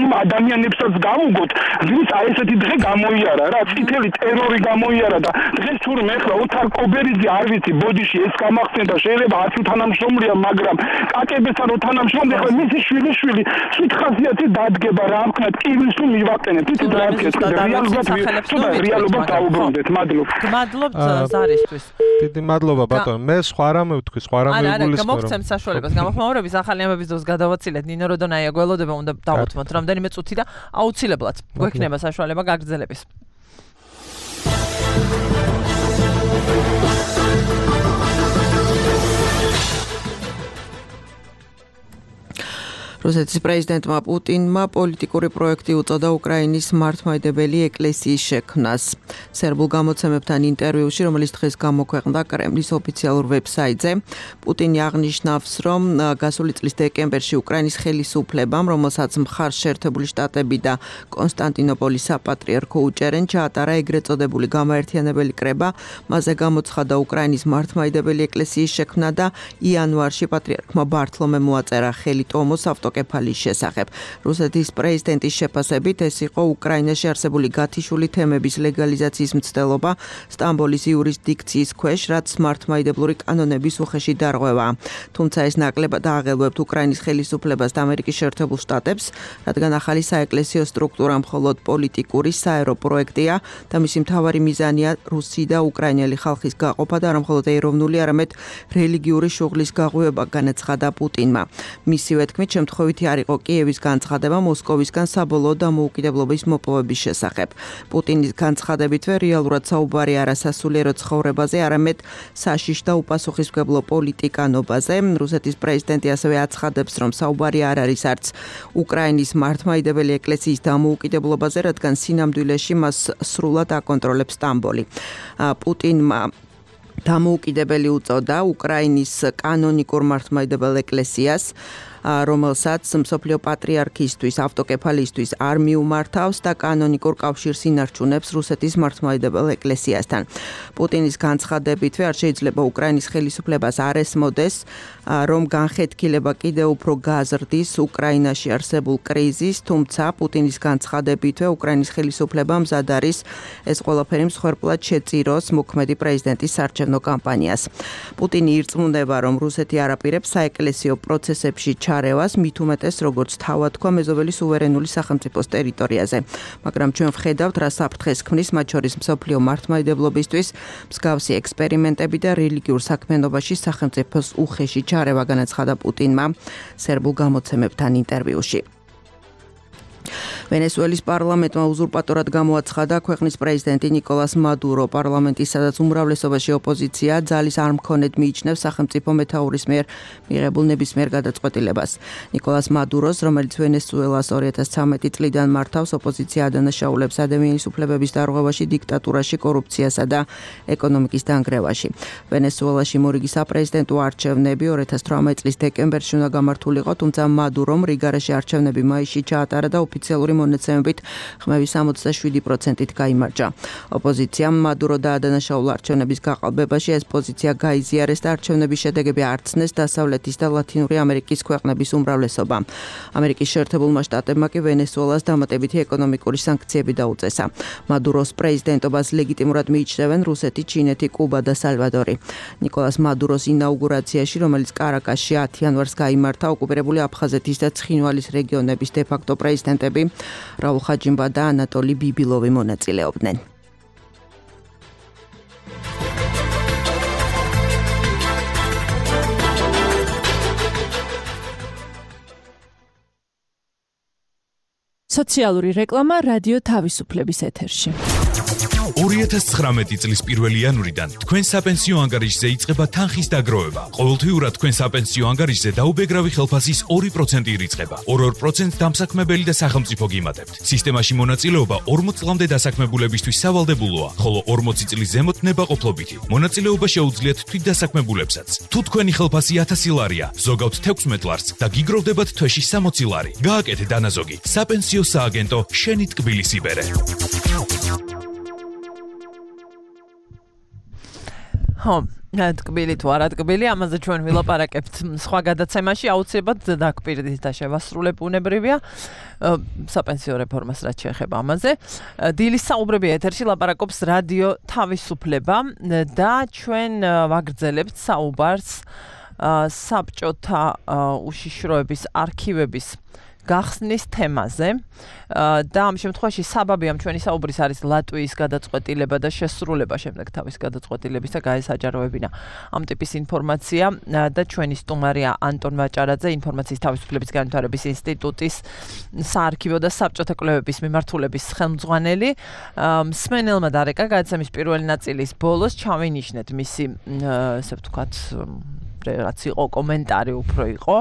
იმ ადამიანებსაც გავუგოთ, ვინც აი ესეთი დღე გამოიარა რა, წითელი ტერორი გამოიარა და დღეს თურმე ახლა ოთარ კობერიძე არ ვიცი, ბოდიში ეს გამახსენდა, შეიძლება არც თანამშრომლია, მაგრამ კაკებესთან თანამშრომლია, ახლა მისი შვილიშვილი სითხაზიათი დადგება რა ვქნათ, კიბლის თუ მივაყენეთ, იცით რა ვქეთ, რეალობას დაუბრუნდეთ, მადლობთ. გმადლობთ ზარისთვის. დიდი მადლობა ბატონო. მე სხვა რამე ვთქვი, სხვა რამე ვიგულისხმო. გამოგცემ საშუალებას გამოხმაურების ახალი ამბების დროს გადავაცილეთ ნინო როდონაია გველოდება უნდა დავუთმოთ რამდენიმე წუთი და აუცილებლად გვექნება საშუალება გაგრძელების. რუსეთის პრეზიდენტმა პუტინმა პოლიტიკური პროექტი უწოდა უკრაინის მართლმადიდებელი ეკლესიის შექმნას. სერბულ გამოცემებთან ინტერვიუში, რომელიც დღეს გამოქვეყნდა კრემლის ოფიციალურ ვებსაიტზე, პუტინი აღნიშნავს, რომ გასული წლის დეკემბერში უკრაინის ხელისუფლებამ, რომელსაც მხარს შეერთებული შტატები და კონსტანტინოპოლის საპატრიარქო უჭერენ, ჩაატარა ეგრეთ წოდებული გამაერთიანებელი კრება, მასზე გამოცხადა უკრაინის მართლმადიდებელი ეკლესიის შექმნა და იანვარში პატრიარქმა ბართლომემ მოაწერა ხელი ტომოს კეფალის შესახებ. რუსეთის პრეზიდენტის შეფასებით ეს იყო უკრაინაში არსებული გათიშული თემების ლეგალიზაციის მცდელობა სტამბოლის იურისდიქციის ქვეშ, რაც მართლმადიდებლური კანონების უხეში დარღვევა. თუმცა ეს ნაკლებად აღელვებთ უკრაინის ხელისუფლებას და ამერიკის შეერთებულ შტატებს, რადგან ახალი საეკლესიო სტრუქტურა მხოლოდ პოლიტიკური საერო პროექტია და მისი მთავარი მიზანია რუსი და უკრაინელი ხალხის გაყოფა და არა მხოლოდ ეროვნული, არამედ რელიგიური შუღლის გაღვივება, განაცხადა პუტინმა. მისივე თქმით, შემთხვევითი არ იყო კიევის განცხადება მოსკოვისგან საბოლოო დამოუკიდებლობის მოპოვების შესახებ. პუტინის განცხადებითვე რეალურად საუბარი არა სასულიერო ცხოვრებაზე, არამედ საშიშ და უპასუხისმგებლო პოლიტიკანობაზე. რუსეთის პრეზიდენტი ასევე აცხადებს, რომ საუბარი არ არის არც უკრაინის მართლმადიდებელი ეკლესიის დამოუკიდებლობაზე, რადგან სინამდვილეში მას სრულად აკონტროლებს სტამბოლი. პუტინმა დამოუკიდებელი უწოდა უკრაინის კანონიკურ მართლმადიდებელ ეკლესიას, რომელსაც მსოფლიო პატრიარქისთვის, ავტოკეფალისთვის არ მიუმართავს და კანონიკურ კავშირს ინარჩუნებს რუსეთის მართლმადიდებელ ეკლესიასთან. პუტინის განცხადებითვე არ შეიძლება უკრაინის ხელისუფლებას არ ესმოდეს, რომ განხეთქილება კიდევ უფრო გაზრდის უკრაინაში არსებულ კრიზისს, თუმცა პუტინის განცხადებითვე უკრაინის ხელისუფლება მზად არის ეს ყველაფერი მსხვერპლად შეწიროს მოქმედი პრეზიდენტის საარჩევნო კამპანიას. პუტინი ირწმუნება, რომ რუსეთი არ აპირებს საეკლესიო პროცესებში ჩარევას, მით უმეტეს როგორც თავად თქვა მეზობელი სუვერენული სახელმწიფოს ტერიტორიაზე. მაგრამ ჩვენ ვხედავთ, რა საფრთხეს ქმნის მათ შორის მსოფლიო მართლმადიდებლობისთვის მსგავსი ექსპერიმენტები და რელიგიურ საქმიანობაში სახელმწიფოს უხეში ჩარევა, განაცხადა პუტინმა სერბულ გამოცემებთან ინტერვიუში. ვენესუელის პარლამენტმა უზურპატორად გამოაცხადა ქვეყნის პრეზიდენტი ნიკოლას მადურო. პარლამენტის, სადაც უმრავლესობაში ოპოზიცია ძალის არ მქონედ მიიჩნევს სახელმწიფო მეთაურის მიერ მიღებულ ნებისმიერ გადაწყვეტილებას. ნიკოლას მადუროს, რომელიც ვენესუელას 2013 წლიდან მართავს, ოპოზიცია ადანაშაულებს ადამიანის უფლებების დარღვევაში, დიქტატურაში, კორუფციასა და ეკონომიკის დანგრევაში. ვენესუელაში მორიგი საპრეზიდენტო არჩევნები 2018 წლის დეკემბერში უნდა გამართულიყო, თუმცა მადურომ რიგარაში არჩევნები მაისში ჩაატარა და ოფიციალური მონაცემებით ხმების 67%-ით გაიმარჯვა. ოპოზიციამ მადურო დაადანაშაულა არჩევნების გაყალბებაში, ეს პოზიცია გაიზიარეს და არჩევნების შედეგები არცნეს დასავლეთის და ლათინური ამერიკის ქვეყნების უმრავლესობამ. ამერიკის შეერთებულმა შტატებმა კი ვენესუელას დამატებითი ეკონომიკური სანქციები დაუწესა. მადუროს პრეზიდენტობას ლეგიტიმურად მიიჩნევენ რუსეთი, ჩინეთი, კუბა და სალვადორი. ნიკოლას მადუროს ინაუგურაციაში, რომელიც კარაკასში 10 იანვარს გაიმართა, ოკუპირებული აფხაზეთის და ცხინვალის რეგიონების დე-ფაქტო პრეზიდენტები რაულ ხაჯიმბა და ანატოლი ბიბილოვი მონაწილეობდნენ. სოციალური რეკლამა რადიო თავისუფლების ეთერში. 2019 წლის 1 იანვრიდან თქვენ საპენსიო ანგარიშზე იწყება თანხის დაგროვება. ყოველთვიურად თქვენ საპენსიო ანგარიშზე დაუბეგრავი ხელფასის 2% ირიცხება. 2% დამსაქმებელი და სახელმწიფო გიმატებთ. სისტემაში მონაწილეობა 40 წლამდე დასაქმებულებისთვის სავალდებულოა, ხოლო 40 წლის ზემოთ ნებაყოფლობითი. მონაწილეობა შეუძლიათ თვითდასაქმებულებსაც. თუ თქვენი ხელფასი 1000 ლარია, ზოგავთ 16 ლარს და გიგროვდებათ თვეში 60 ლარი. გააკეთეთ დანაზოგი. საპენსიო სააგენტო შენი ტკბილის იბერე. ტკბილი თუ არა ტკბილი, ამაზე ჩვენ ვილაპარაკებთ სხვა გადაცემაში, აუცილებლად დაგვპირდით და შევასრულებ უნებრივია საპენსიო რეფორმას რაც შეეხება ამაზე. დილის საუბრები ეთერში ლაპარაკობს რადიო თავისუფლება და ჩვენ ვაგრძელებთ საუბარს საბჭოთა უშიშროების არქივების გახსნის თემაზე და ამ შემთხვევაში საბაბი ამ ჩვენი საუბრის არის ლატვიის გადაწყვეტილება და შესრულება შემდეგ თავის გადაწყვეტილებისა გაესაჯაროებინა ამ ტიპის ინფორმაცია და ჩვენი სტუმარია ანტონ ვაჭარაძე ინფორმაციის თავისუფლების განვითარების ინსტიტუტის საარქივო და საბჭოთა კვლევების მიმართულების ხელმძღვანელი მსმენელმა დარეკა გადაცემის პირველი ნაწილის ბოლოს ჩავინიშნეთ მისი ესე ვთქვათ რაც იყო კომენტარი უფრო იყო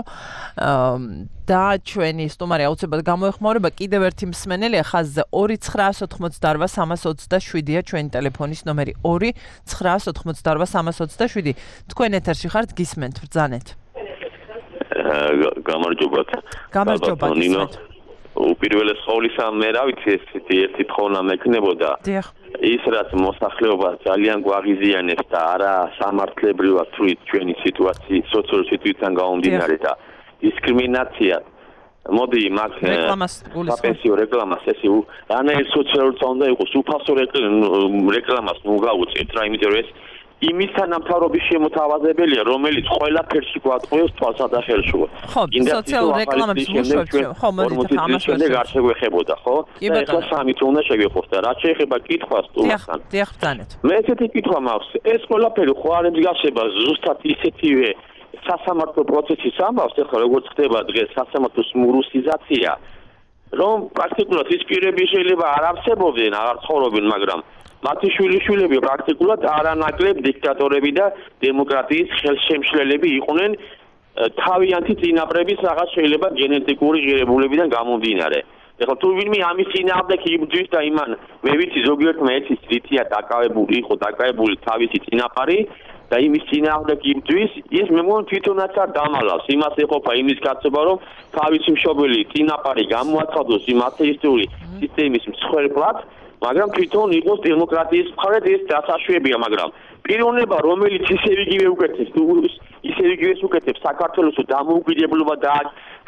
და ჩვენი სტუმარი აუცილებლად გამოეხმაურება კიდევ ერთი მსმენელია ხაზზე 2988327-ია ჩვენი ტელეფონის ნომერი 2988327 თქვენ ეთერში ხართ გისმენთ ბრძანეთ გამარჯობათ ნინო უპირველეს ყოვლისა მე რა ვიცი ერთი თხოვნა მექნებოდა ის რაც მოსახლეობა ძალიან გვაღიზიანებს და არა სამართლებრივად ჩვენი სიტუაციის სოციალური სიტუაციიდან გამომდინარე და დისკრიმინაცია მოდი მაგ საპენსიო რეკლამას ესე რანაირ სოციალურ უნდა იყოს უფასო რეკლამას ნუ გავუწევთ რა იმიტომ რომ ეს იმისთან ამთავრობის შემოთავაზებელია რომელიც ყველაფერში გვატყუებს თვალსა და ხელშუა ხო სოციალურ რეკლამებს ვუშვებთ ხო მოდით ამას შემდეგ არ შეგვეხებოდა ხო და ეხლა სამით უნდა შეგვეხოს და რაც შეეხება კითხვას თუმცა დიახ ბრძანეთ მე ესეთი კითხვა მაქვს ეს ყველაფერი ხო არ ემსგავსება ზუსტად ისეთივე სასამართლო პროცესის ამბავს ეხლა როგორც ხდება დღეს სასამართლოს მურუსიზაცია რომ პრაქტიკულად ის პირები შეიძლება არ არსებობდნენ აღარ ცხოვრობენ მაგრამ მათი შვილიშვილები პრაქტიკულად არანაკლებ დიქტატორები და დემოკრატიის ხელშემშლელები იყვნენ თავიანთი წინაპრების რაღაც შეიძლება გენეტიკური ღირებულებიდან გამომდინარე. ეხლა თუ ვინმე ამის წინააღმდეგ იბრძვის და იმან მე ვიცი ზოგიერთმა ეცის რითია დაკავებული თავისი წინაპარი და იმის წინააღმდეგ იბრძვის ის მე მგონი თვითონაც არ დამალავს იმას ეყოფა იმის კაცობა რომ თავისი მშობელი წინაპარი გამოაცხადოს იმ ათეისტური სისტემის მსხვერპლად მაგრამ თვითონ იყოს დემოკრატიის მხარედ ეს დასაშვებია მაგრამ პიროვნება რომელიც ისევ იგივე უკეთებს საქართველოს დამოუკიდებლობა და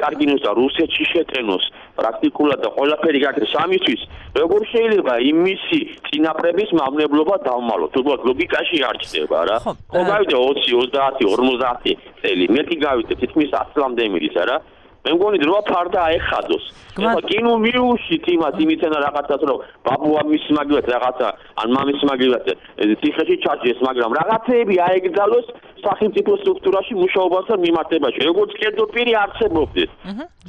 კარგინოს და რუსეთში შეტენოს პრაქტიკულად და ყველაფერი გაკეთოს ამისთვის როგორ შეიძლება იმისი წინაპრების მავნებლობა დავმალოთ უბრალოდ ლოგიკაში არ ჩდება რა ხო გავიდა 20 30 50 წელი მეტი გავიდა თითქმის 100 წლამდე მიდის არა მე მგონი დროა ფარდა აეხადოს ეხლა კინო მიუშვით იმას იმითენა რაღაცას რომ ბაბუა მის მაგივრად რაღაცა ან მამის მაგივრად ციხეში ჩაჭდეს მაგრამ რაღაცეები აეგზალოს სახელმწიფო სტრუქტურაში მუშაობასთან მიმართებაში როგორც კერძო პირი არსებობდეს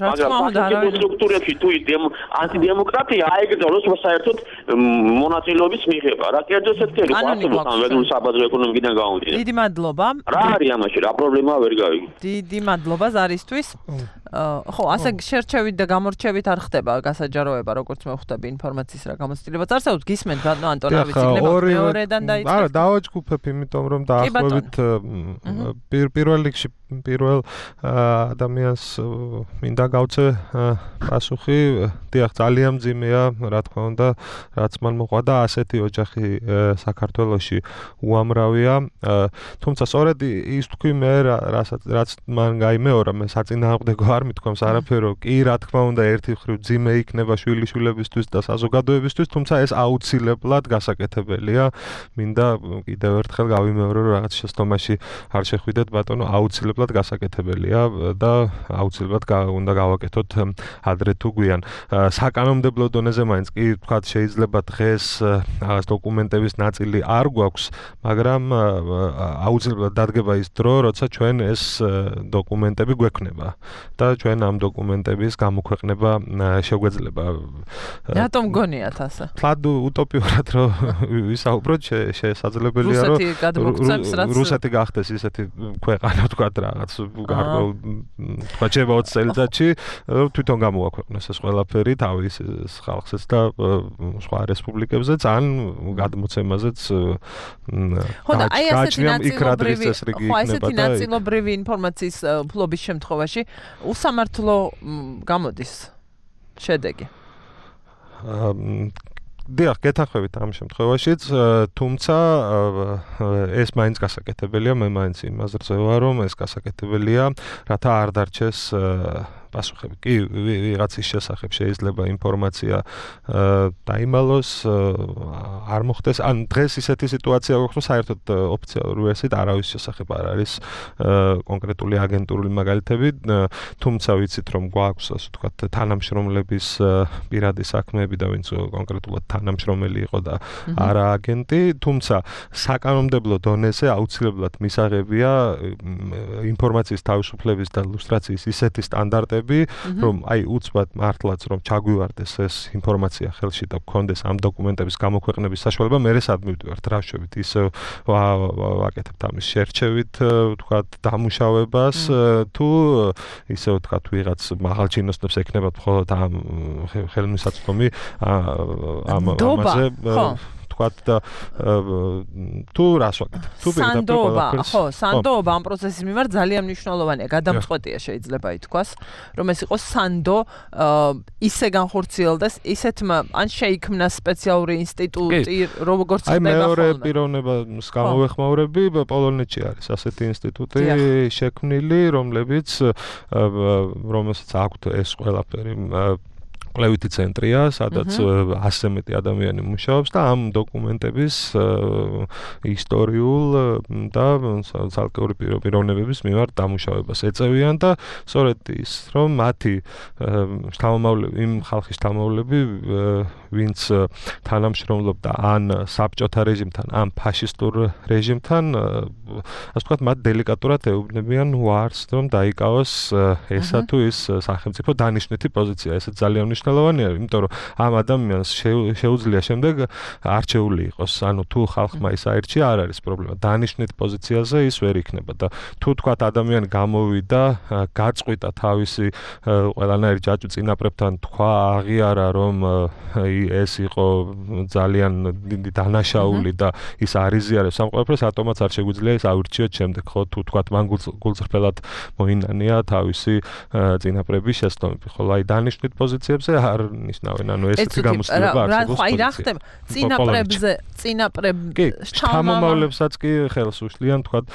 მაგრამ სახელმწიფო სტრუქტურებში თუ ანტიდემოკრატია აეგზალოს საერთოდ მონაწილეობის მიღება რა კერძო სექტორი ყავს ამ ვედრულ საბაზრო ეკონომიკიდან გამომდინარე დიდი მადლობა რა არის ამაში რა პრობლემაა ვერ გავიგე დიდი მადლობა ზარისთვის ხო ასე შერჩევით და გამორჩევით არ ხდება გასაჯაროება როგორც მე ხვდები ინფორმაციის რა გამოცდილებაც არსებობს გისმენთ ბატონო ანტონავიც იქნება მეორედან დაიწყებს არა დავაჯგუფებ იმიტომ რომ დაახლოებით პირველ რიგში პირველ ადამიანს მინდა გავცე პასუხი დიახ ძალიან მძიმეა რა თქმა უნდა რაც მან მოყვა და ასეთი ოჯახი საქართველოში უამრავია თუმცა სწორედ ის თქვი მე რაც მან გაიმეორა მე საწინააღმდეგო არ მithქვამს არაფერო კი რა თქმა უნდა ერთი მხრივ მძიმე იქნება შვილიშვილებისთვის და საზოგადოებისთვის თუმცა ეს აუცილებლად გასაკეთებელია მინდა კიდევ ერთხელ გავიმეორო რომ რაღაც შეცდომაში არ შეხვიდეთ ბატონო აუცილებლად გასაკეთებელია და აუცილებლად უნდა გავაკეთოთ ადრე თუ გვიან საკანონმდებლო დონეზე მაინც კი ვთქვათ შეიძლება დღეს რაღაც დოკუმენტების ნაწილი არ გვაქვს მაგრამ აუცილებლად დადგება ის დრო როცა ჩვენ ეს დოკუმენტები გვექნება და ჩვენ ამ დოკუმენტების გამოქვეყნება შეგვეძლება რატომ გონიათ ასე თლად უტოპიურად რომ ვისაუბროთ შესაძლებელია რომ რუსეთი გახდეს ისეთი ქვეყანა ვთქვათ რაღაც გარკვეულ თქვა შეიძლება 20 წელიწადში თვითონ გამოაქვეყნოს ეს ყველაფერი თავის ხალხსაც და სხვა რესპუბლიკებზეც ან გადმოცემაზეც გააჩნია იქ რა დღის წესრიგი იქნება და ესეთი ნაწილობრივი ინფორმაციის ფლობის შემთხვევაში უსამართლო გამოდის შედეგი დიახ, გეთანხმებით ამ შემთხვევაშიც, თუმცა ეს მაინც გასაკეთებელია, მე მაინც იმაზე ვარ, რომ ეს გასაკეთებელია, რათა არ დარჩეს პასუხები. კი, ვიღაცის შესახებ შეიძლება ინფორმაცია დაიმალოს, არ მოხდეს. ან დღეს ისეთი სიტუაცია გვაქვს, რომ საერთოდ ოფიციალური ვერსიით არავის შესახებ არ არის კონკრეტული აგენტურული მაგალითები, თუმცა ვიცით, რომ გვაქვს, ასე ვთქვათ, თანამშრომლების პირადი საქმეები და ვინც კონკრეტულად თანამშრომელი იყო და არა აგენტი, თუმცა საკანონმდებლო დონეზე აუცილებლად მისაღებია ინფორმაციის თავისუფლების და ლუსტრაციის ისეთი სტანდარტები, რომ აი უცბად მართლაც რომ ჩაგვივარდეს ეს ინფორმაცია ხელში და გქონდეს ამ დოკუმენტების გამოქვეყნების საშუალება, მე სადმივდივართ რაშევით ისე ვაკეთებთ ამის შერჩევით, ვთქვათ, დამუშავებას, თუ ისე ვთქვათ, ვიღაც მაღალჩინოსნებს ექნებათ მხოლოდ ამ ხელმისაწვდომი ამაზე ვთქვათ და თუ რას ვაკეთებ? თუ სანდოობა ამ პროცესის მიმართ ძალიან მნიშვნელოვანია, გადამწყვეტია შეიძლება ითქვას, რომ ეს იყოს სანდო ისე განხორციელდეს, ისეთმა ან შეიქმნა სპეციალური ინსტიტუტი, როგორც ხდება ხოლმე. აი მეორე პიროვნებას გამოვეხმაურები, პოლონეთში არის ასეთი ინსტიტუტი შექმნილი, რომელსაც აქვთ ეს ყველაფერი კვლევითი ცენტრია, სადაც 100 მეტი ადამიანი მუშაობს და ამ დოკუმენტების ისტორიულ და ცალკეული პიროვნებების მიმართ დამუშავებას ეწევიან და სწორედ ის, რომ მათი შთამომავლები, იმ ხალხის შთამომავლები, ვინც თანამშრომლობდა ან საბჭოთა რეჟიმთან, ან ფაშისტურ რეჟიმთან, ასე ვთქვათ, მათ დელიკატურად ეუბნებიან უარს, რომ დაიკავოს ესა თუ ის სახელმწიფო დანიშნვითი პოზიცია. ეს ძალიან მნიშვნელოვანია, იმიტომ რომ ამ ადამიანს შეუძლია შემდეგ არჩეული იყოს. ანუ თუ ხალხმა ის აირჩია, არ არის პრობლემა. დანიშნვით პოზიციაზე ის ვერ იქნება და თუ თქვათ ადამიანი გამოვიდა, გაწყვიტა თავისი ყველანაირი ჯაჭვი წინაპრებთან თქვა, აღიარა, რომ ეს იყო ძალიან დიდი დანაშაული და ის არიზიარებს ამ ყველაფერს, ატომაც არ შეგვიძლია ის ავირჩიოთ შემდეგ, ხო, თუ თქვათ მან გულწრფელად მოინანია თავისი წინაპრების შესწავლები, ხოლო აი დანიშნვით პოზიციებზე არ ნიშნავენ, ანუ ესეთი გამოსვლება არსებობს. აი რა ხდება? წინაპრები შთამომავლებსაც კი ხელს უშლიან, თქვათ,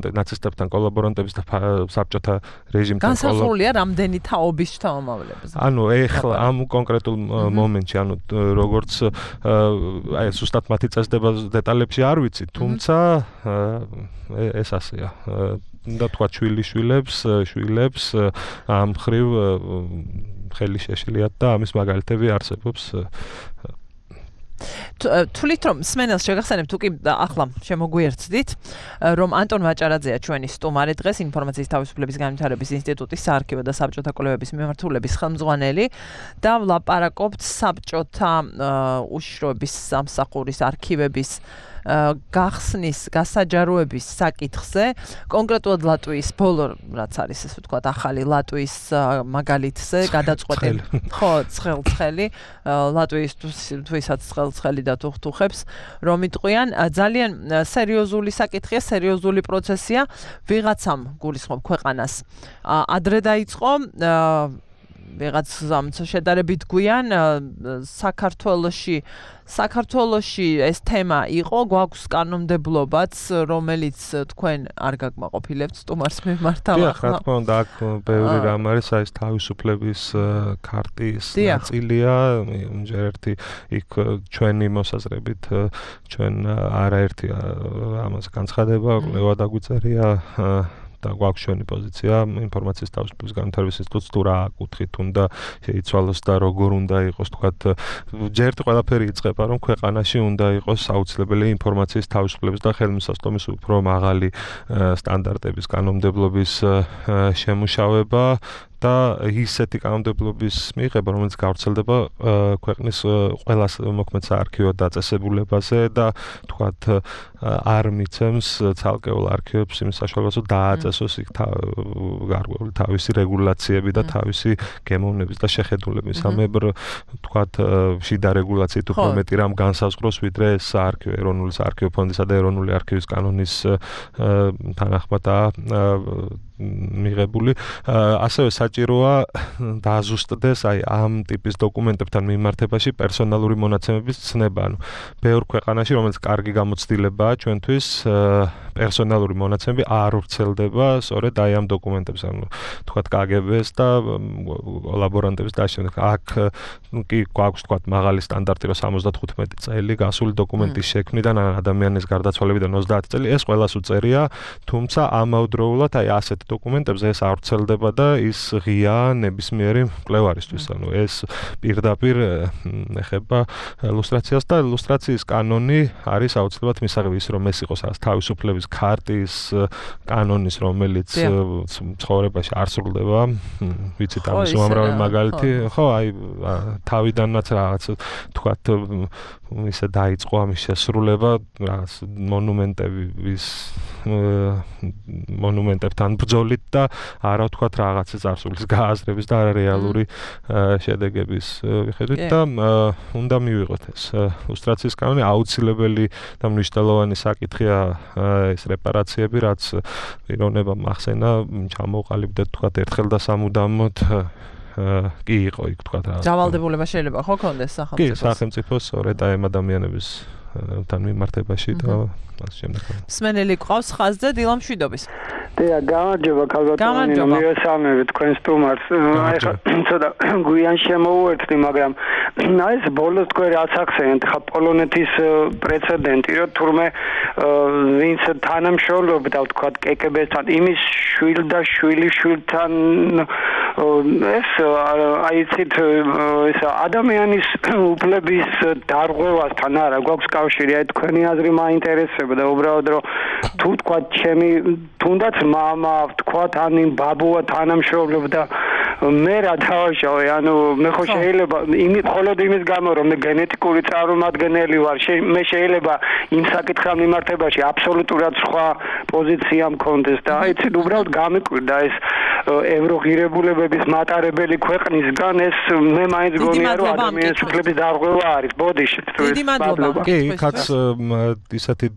ნაცისტებთან კოლაბორანტების და საბჭოთა რეჟიმთან განსაზღვრულია რამდენი თაობის შთამომავლებს. ანუ ეხლა ამ კონკრეტულ მომენტში, ანუ როგორც აი ზუსტად მათი წესდება დეტალებში არ ვიცი, თუმცა ეს ასეა. და თქვათ შვილებს ამ ხრივ ხელი შეშლიათ და ამის მაგალითები არსებობს. თulit რომ სმენელს შეგახსენებ თუ კი ახლა შემოგვიერთდით რომ ანტონ ვაჭარაძეა ჩვენი სტუმარი დღეს ინფორმაციის თავისუფლების განვითარების ინსტიტუტის საარქივო და საბჭოთა კვლევების მიმართულების ხელმძღვანელი და ვლაპარაკობთ საბჭოთა უშიშროების სამსახურის არქივების გახსნის, გასაჯაროების საკითხზე, კონკრეტულად ლატვიის ბოლო რაც არის ესე ვთქვათ ახალი ლატვიის მაგალითზე გადაწყვეტილი. ხო, ცხელი ლატვიისთვის ცხელი და თუხთუხებს რომ იტყვიან ძალიან სერიოზული საკითხია, სერიოზული პროცესია, ვიღაცამ გულისხმობ ქვეყანას. ადრე დაიწყო ვიღაც შედარებით გვიან საქართველოში ეს თემა იყო, გვაქვს კანონმდებლობაც, რომელიც თქვენ არ გაკმაყოფილებთ სტუმარს მიმართავ. დიახ, რა თქმა უნდა, აქ ბევრი რამ არის, ეს თავისუფლების ქარტის ნაწილია, ჯერ ერთი იქ ჩვენი მოსაზრებით, ჩვენ არაერთი ამას განცხადება, კვლევა დაგვიწერია და გვაქვს ჩვენი პოზიცია ინფორმაციის თავისუფლების განვითარების ინსტიტუტს თუ რა აკუთხით უნდა შეიცვალოს და როგორ უნდა იყოს თქვათ ჯერ ყველაფერი იწყება რომ ქვეყანაში უნდა იყოს აუცილებელი ინფორმაციის თავისუფლების და ხელმისაწვდომის უფრო მაღალი სტანდარტების კანონმდებლობის შემუშავება და ისეთი კანონმდებლობის მიღება, რომელიც გავრცელდება ქვეყნის ყველა მოქმედ საარქივო დაწესებულებაზე და თქვათ არ მიცემს ცალკეულ არქივებს იმის საშუალებას, რომ დააწესოს იქ გარკვეული განსაზღვრული თავისი რეგულაციები და თავისი გემოვნების და შეხედულების. ამებრ თქვათ შიდა რეგულაციით უფრო მეტი რამ განსაზღვროს, ვიდრე საარქივო ეროვნული საარქივო ფონდისა და ეროვნული არქივის კანონის თანახმადაა მიღებული. ასევე საჭიროა დააზუსტდეს აი ამ ტიპის დოკუმენტებთან მიმართებაში პერსონალური მონაცემების ცნება. ანუ ბევრ ქვეყანაში, რომელიც კარგი გამოცდილებაა ჩვენთვის, პერსონალური მონაცემები არ ვრცელდება სწორედ აი ამ დოკუმენტებს, ანუ თქვათ KGB-ს და კოლაბორანტების დაშენებას. აქ კი გვაქვს თქვათ მაღალი სტანდარტი, რომ 75 წელი გასული დოკუმენტის შექმნიდან ან ადამიანის გარდაცვალებიდან 30 წელი, ეს ყველას უწერია, თუმცა ამავდროულად აი ასეთ დოკუმენტებზე ეს არ ვრცელდება და ის ღია ნებისმიერი მკვლევარისთვის. ანუ ეს პირდაპირ ეხება ილუსტრაციას და ილუსტრაციის კანონი არის აუცილებლად მისაღები ის, რომ ეს იყოს თავისუფლების ქარტის კანონის, რომელიც ცხოვრებაში არ სრულდება. ვიცით ამის უამრავი მაგალითი, ხო, აი თავიდანაც რაღაც თქვათ ისე დაიწყო ამის შესრულება, რაღაც მონუმენტებთან ბრძოლით და არა ვთქვათ რაღაცა წარსულის გააზრების და რეალური შედეგების მიხედვით და უნდა მივიღოთ ეს ილუსტრაციის კანონი. აუცილებელი და მნიშვნელოვანი საკითხია ეს რეპარაციები, რაც პიროვნება მახსენა ჩამოყალიბდა თქვათ ერთხელ და სამუდამოდ კი იყო იქ თქვათ რა. ჯავალდებულება შეიძლება ხო კონდეს სახელმწიფოს? კი, სახელმწიფოს სწორედ აი ამ ადამიანების თან მიმართებაში და ამ შემდეგ. მსმენელი ყავს ხაზზე დილამ შვიდობის. დიახ, გამარჯობა ქალბატონი, მიესალმები თქვენ სტუმარს. აი ხა ცოტა გვიან შემოვუერთდი, მაგრამ აი ეს ბოლოს თქვენ რაც ახსენეთ, ხა პოლონეთის პრეცედენტი, რომ თურმე ვინც თანამშრომლობდა თქვათ KGB-სთან, იმის შვილ და შვილიშვილთან ეს აი ცით ეს ადამიანის უფლების დარღვევასთან არა გვაქვს კავშირი, აი თქვენი აზრი მაინტერესება და უბრალოდ რომ თუ თქვათ ჩემი თუნდაც მამა ვთქვათ ან იმ ბაბუა თანამშრომლობდა მე რა დავაშავე, ანუ მე ხო შეიძლება მხოლოდ იმის გამო რომ მე გენეტიკური წარმომადგენელი ვარ, მე შეიძლება იმ საკითხთან მიმართებაში აბსოლუტურად სხვა პოზიცია მქონდეს და აი ცით უბრალოდ გამიკვირდა ეს ევროღირებულებების მატარებელი ქვეყნისგან ეს მე მაინც გონია რომ ადამიანის უფლების დარღვევა არის. ბოდიშით თუ დიდი მადლობა. კი, იქაც ისეთი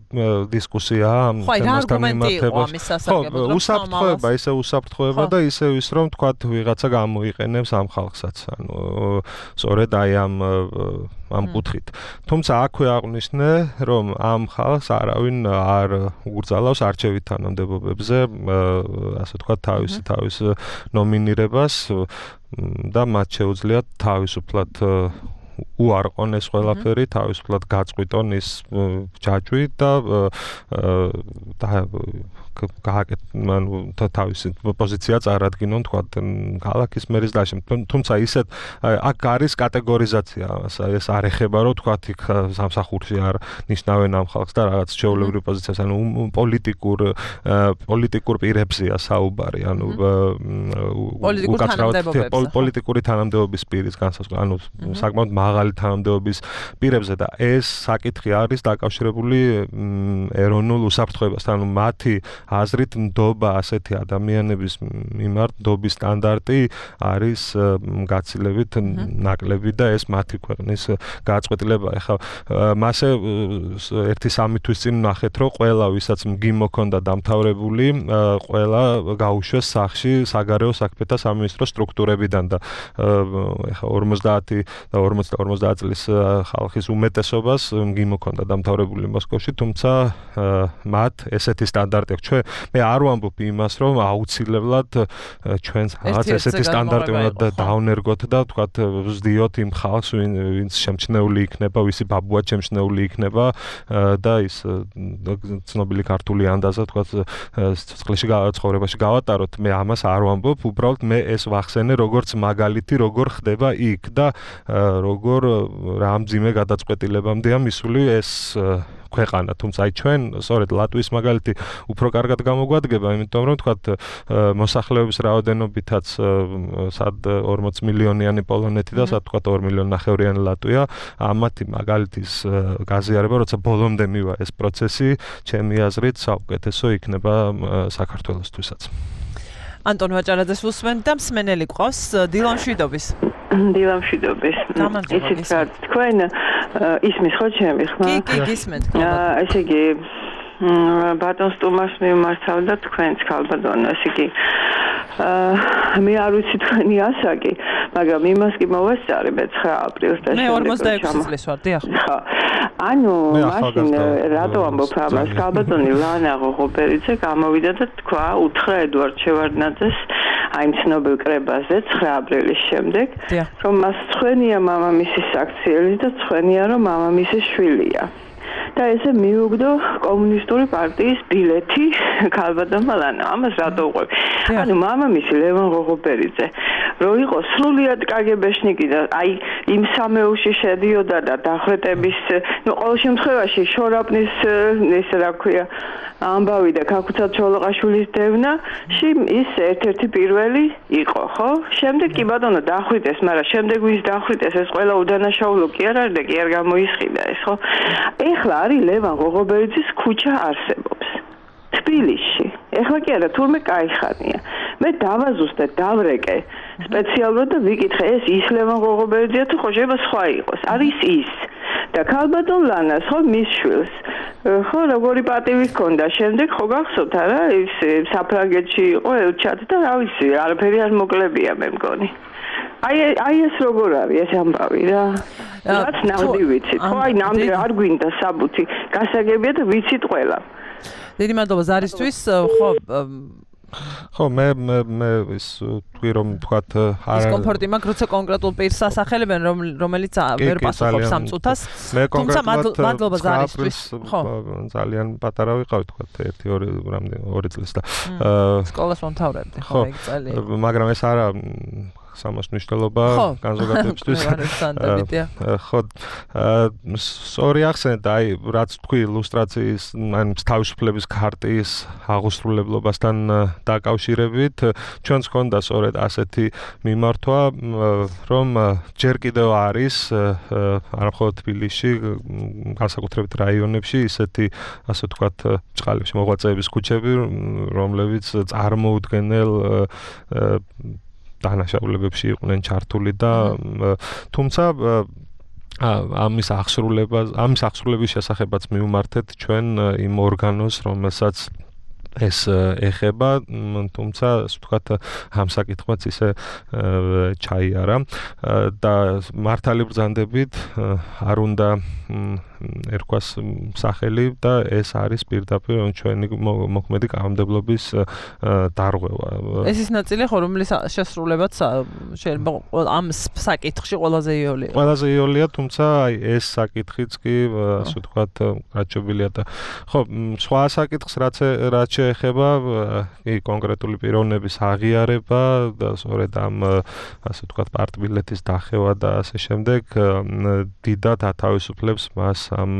დისკუსიაა ამასთან მიმართებაში. ხო, უსაფრთხოება, ისე უსაფრთხოება და ისე ის რომ თქვათ ვიღაცა გამოიყენებს ამ ხალხსაც. ანუ სწორედ აი ამ კუთხით. თუმცა აქვე აღვნიშნე, რომ ამ ხალხს არავინ არ უგრძალავს არჩევით თანამდებობებზე, ასე თქვათ თავის ნომინირებას და მათ შეუძლიათ თავისუფლად უარყონ ეს ყველაფერი, თავისუფლად გაწყვიტონ ის ჯაჭვი და თავისი პოზიცია წარადგინონ თქვათ ქალაქის მერის დაშენებით. თუმცა ისეთ აქ არის კატეგორიზაცია, ეს არ ეხება რომ თქვათ იქ სამსახურში არ ნიშნავენ ამ ხალხს და რაღაც ჩვეულებრივ პოზიციას, ანუ პოლიტიკურ პირებზეა საუბარი, ანუ პოლიტიკური თანამდებობის პირის განსაზღვრა, ანუ საკმაოდ მაღალი თანამდებობის პირებზე და ეს საკითხი არის დაკავშირებული ეროვნულ უსაფრთხოებასთან, ანუ მათი აზრით ნდობა ასეთი ადამიანების მიმართ ნდობის სტანდარტი არის გაცილებით ნაკლები და ეს მათი ქვეყნის გაწყვეტილება. ეხლა მასე ერთი სამი თვის წინ ნახეთ, რომ ყველა ვისაც მგიმო ჰქონდა დამთავრებული, ყველა გაუშვეს სახში საგარეო საქმეთა სამინისტრო სტრუქტურებიდან და ეხლა 50 და 50 წლის ხალხის უმეტესობას მგიმო ჰქონდა დამთავრებული მოსკოვში, თუმცა მათ ესეთი სტანდარტი აქვს. მე არ ვამბობ იმას, რომ აუცილებლად ჩვენს რაღაც ესეთი სტანდარტი უნდა დავნერგოთ და ვთქვათ ვზდიოთ იმ ხალხს, ვინც შემჩნეული იქნება, ვისი ბაბუა შემჩნეული იქნება და ის ცნობილი ქართული ანდაზა ვთქვათ ცოცხლში ცხოვრებაში გავატაროთ. მე ამას არ ვამბობ, უბრალოდ მე ეს ვახსენე როგორც მაგალითი, როგორ ხდება იქ და როგორ რა მძიმე გადაწყვეტილებამდეა მისული ეს ქვეყანა. თუმცა აი ჩვენ სწორედ ლატვიის მაგალითი უფრო კარგად გამოგვადგება, იმიტომ რომ თქვათ მოსახლეობის რაოდენობითაც სად 40 მილიონიანი პოლონეთი და სად თქვათ 2 მილიონი ნახევრიანი ლატვია, ამათი მაგალითის გაზიარება, როცა ბოლომდე მივა ეს პროცესი, ჩემი აზრით საუკეთესო იქნება საქართველოსთვისაც. ანტონ ვაჭარაძეს უსმენთ და მსმენელი გვყავს დილან შვიდობის. დილან შვიდობის. ისიც რა თქვენ ისმის ხო ჩემი ხმა? კი, გისმენთ. ესე იგი ბატონს ტუმარს მიმართავდა თქვენს ქალბატონო, ესე იგი მე არ ვიცი თქვენი ასაკი, მაგრამ იმას კი მოვესწარი მე 9 აპრილს და მე 46 წლის ვარ, დიახ. ხო. ანუ მაშინ რატო ამბობ ამას? ქალბატონი ლანა ღოღობერიძე გამოვიდა და თქვა უთხრა ედვარდ შევარდნაძეს აი ცნობილ კრებაზე 9 აპრილის შემდეგ, რომ მას ცხენია მამამისის საქციელი და ცხენია რომ მამამისის შვილია. და ესე მიუგდო კომუნისტური პარტიის ბილეთი ქალბატონმა ლანა. ამას რატო უყვებ? ანუ მამამისი ლევან ღოღობერიძე რო იყო სრულიად კგბ-შნიკი და აი იმ სამეულში შედიოდა და დახვრეტების, ნუ ყოველ შემთხვევაში შორაპნის ესე რა ქვია ამბავი და ქაქუცა ჩოლოყაშვილის დევნაში ის ერთ-ერთი პირველი იყო, ხო? შემდეგ კი ბატონო დახვრიტეს, მაგრამ შემდეგ ვის დახვრიტეს ეს ყველა უდანაშაულო კი არ არის და კი არ გამოისყიდა ეს, ხო? ეხლა არის ლევან ღოღობერიძის ქუჩა არსებობს თბილისში. ეხლა კი არა, თურმე кайხანია. მე დავაზუსტე, დავრეკე სპეციალურად და ვიკითხე ეს ის ლევან ღოღობერიძეა თუ ხო შეიძლება სხვა იყოს. არის ის. და ქალბატონ ლანას ხო მის შვილს ხო როგორი პატივი ჰქონდა შემდეგ ხო გახსოვთ არა ის საფრანგეთში იყო ელჩად და რა ვიცი არაფერი არ მოკლებია მე მგონი აი ეს როგორ არის ეს ამბავი რა რაც ნახდი ვიცით ხო აი ნამდვილად არ გვინდა საბუთი გასაგებია და ვიცით ყველა დიდი მადლობა ზარისთვის ხო ხო მე ის თქვი რომ თქვათ ის კომფორტი მაქვს როცა კონკრეტულ პირს ასახელებენ რომელიც ვერ პასუხობს ამ წუთას თუმცა მადლობა ზარისთვის ხო ძალიან პატარა ვიყავი თქვათ 1-2 წლის და სკოლას მომთავრებდი ხო ეგ წელი მაგრამ ეს არა სამას მნიშვნელობა განზოგადებისთვის ხო სორი ახსენეთ აი რაც თქვი ილუსტრაციის ან თავისუფლების ქარტიის აღუსრულებლობასთან დაკავშირებით ჩვენს ქონდა სწორედ ასეთი მიმართვა რომ ჯერ კიდევ არის არამხოლოდ თბილისში განსაკუთრებით რაიონებში ისეთი ასე ვთქვათ ჭყალებში მოღვაწეების ქუჩები რომლებიც წარმოუდგენელ დანაშაულებებში იყვნენ ჩართული და თუმცა ამის აღსრულების შესახებაც მივმართეთ ჩვენ იმ ორგანოს რომელსაც ეს ეხება თუმცა ასე ვთქვათ ამ საკითხმაც ისე ჩაიარა და მართალი ბრძანდებით არ უნდა ერქვას სახელი და ეს არის პირდაპირ ჩვენი მოქმედი კანონმდებლობის დარღვევა. ეს ის ნაწილი ხო რომლის შესრულებაც შეიძლება ამ საკითხში ყველაზე იოლია. ყველაზე იოლია, თუმცა აი ეს საკითხიც კი ასე ვთქვათ გაჩვენილია და ხო სხვა საკითხს რაც შეეხება კი კონკრეტული პიროვნების აღიარება და სწორედ ამ ასე ვთქვათ პარტბილეთის დახევა და ასე შემდეგ დიდად ათავისუფლებს მას ამ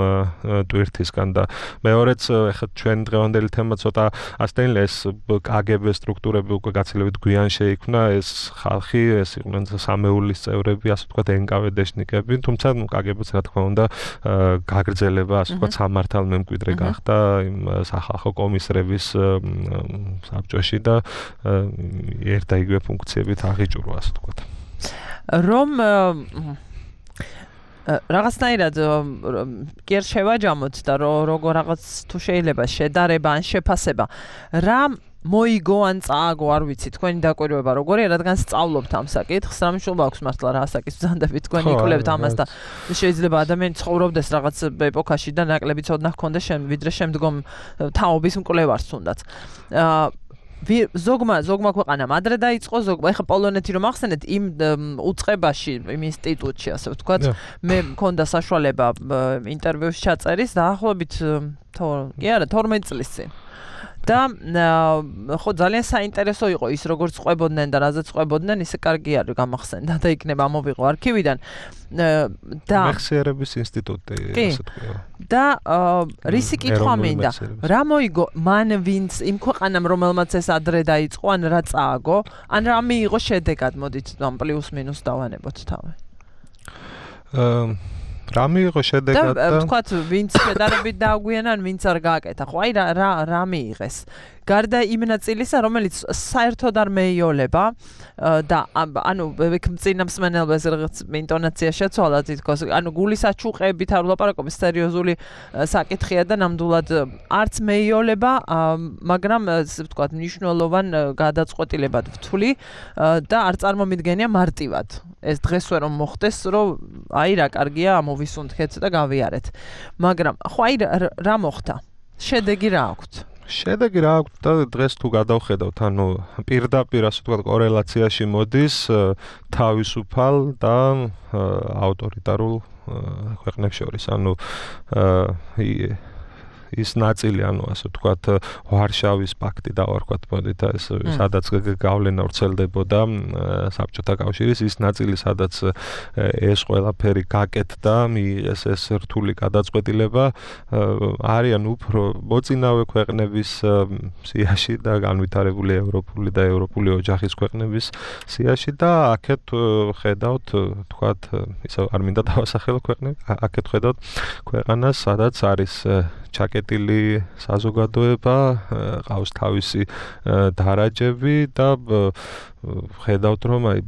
ტვირთისგან და მეორეც ეხლა ჩვენ დღევანდელი თემა ცოტა ასტენლე ეს კგბ სტრუქტურები უკვე გაცილებით გვიან შეიქმნა ეს ხალხი ეს იყვნენ სამეულის წევრები ასე ვთქვათ NKVD-შნიკები თუმცა კგბ-ს რა თქმა უნდა გაგრძელება ასე ვთქვათ სამართალ მემკვიდრე გახდა იმ სახალხო კომისრების საბჭოში და ერთ და იგივე ფუნქციებით აღიჭურვა ასე ვთქვათ რომ რაღაცნაირად კი არ შევაჯამოთ და როგორ რაღაც თუ შეიძლება შედარება ან შეფასება რა მოიგო ან წააგო არ ვიცი თქვენი დაკვირვება როგორია რადგან სწავლობთ ამ საკითხს რა მნიშვნელობა აქვს მართლა რა ასაკის ბრძანდებით თქვენ იკვლევთ ამას და შეიძლება ადამიანი ცხოვრობდეს რაღაც ეპოქაში და ნაკლები ცოდნა ჰქონდეს ვიდრე შემდგომ თაობის მკვლევარს თუნდაც ზოგმა ქვეყანამ ადრე დაიწყო ზოგმა ეხლა პოლონეთი რომ ახსენეთ იმ უწყებაში იმ ინსტიტუტში ასე ვთქვათ მე მქონდა საშუალება ინტერვიუს ჩაწერის დაახლოებით კი არა 12 წლის წინ და ხო ძალიან საინტერესო იყო ის როგორც ყვებოდნენ და რაზეც ყვებოდნენ ისე კარგი არის გამახსენდა და იქნება მოვიღო არქივიდან და მეხსიერების ინსტიტუტი ასე თქვია და რისი კითხვა მინდა რა მოიგო მან ვინც იმ ქვეყანამ რომელმაც ეს ადრე დაიწყო ან რა წააგო ან რა მიიღო შედეგად მოდით ამ პლუს მინუს დავანებოთ თავი რა მიიღო შედეგად და ვთქვათ ვინც შედარებით დააგვიანა ან ვინც არ გააკეთა ხო აი რა მიიღეს გარდა იმ ნაწილისა, რომელიც საერთოდ არ მეიოლება და ანუ წინა მსმენელს რაღაც ინტონაცია შეცვალა თითქოს, ანუ გულის აჩუყებით არ ვლაპარაკობ, სერიოზული საკითხია და ნამდვილად არც მეიოლება, მაგრამ ასე ვთქვათ, მნიშვნელოვან გადაწყვეტილებად ვთვლი და არ წარმომიდგენია მარტივად. ეს დღესვე რომ მოხდეს, რომ აი რა კარგია, ამოვისუნთქეთ და გავიარეთ. მაგრამ ხო აი რა მოხდა? შედეგი რა აქვს? შედეგი რა აქვს და დღეს თუ გადავხედავთ, ანუ პირდაპირ ასე ვთქვათ, კორელაციაში მოდის თავისუფალ და ავტორიტარულ ქვეყნებს შორის. ანუ ის ნაწილი, ანუ ასე ვთქვათ, ვარშავის პაქტი დავარქვათ, მოდით ეს სადაც გავლენა ვრცელდებოდა საბჭოთა კავშირის, ის ნაწილი, სადაც ეს ყველაფერი გაკეთდა, მიიღეს ეს რთული გადაწყვეტილება, არიან უფრო მოწინავე ქვეყნების სიაში და განვითარებული ევროპული და ევროპული ოჯახის ქვეყნების სიაში და აქეთ ხედავთ, თქვათ, ისე არ მინდა დავასახელო ქვეყნები, აქეთ ხედავთ ქვეყანას, სადაც არის ჩაკეტილი საზოგადოება, ყავს თავისი დარაჯები და ხედავთ, რომ აი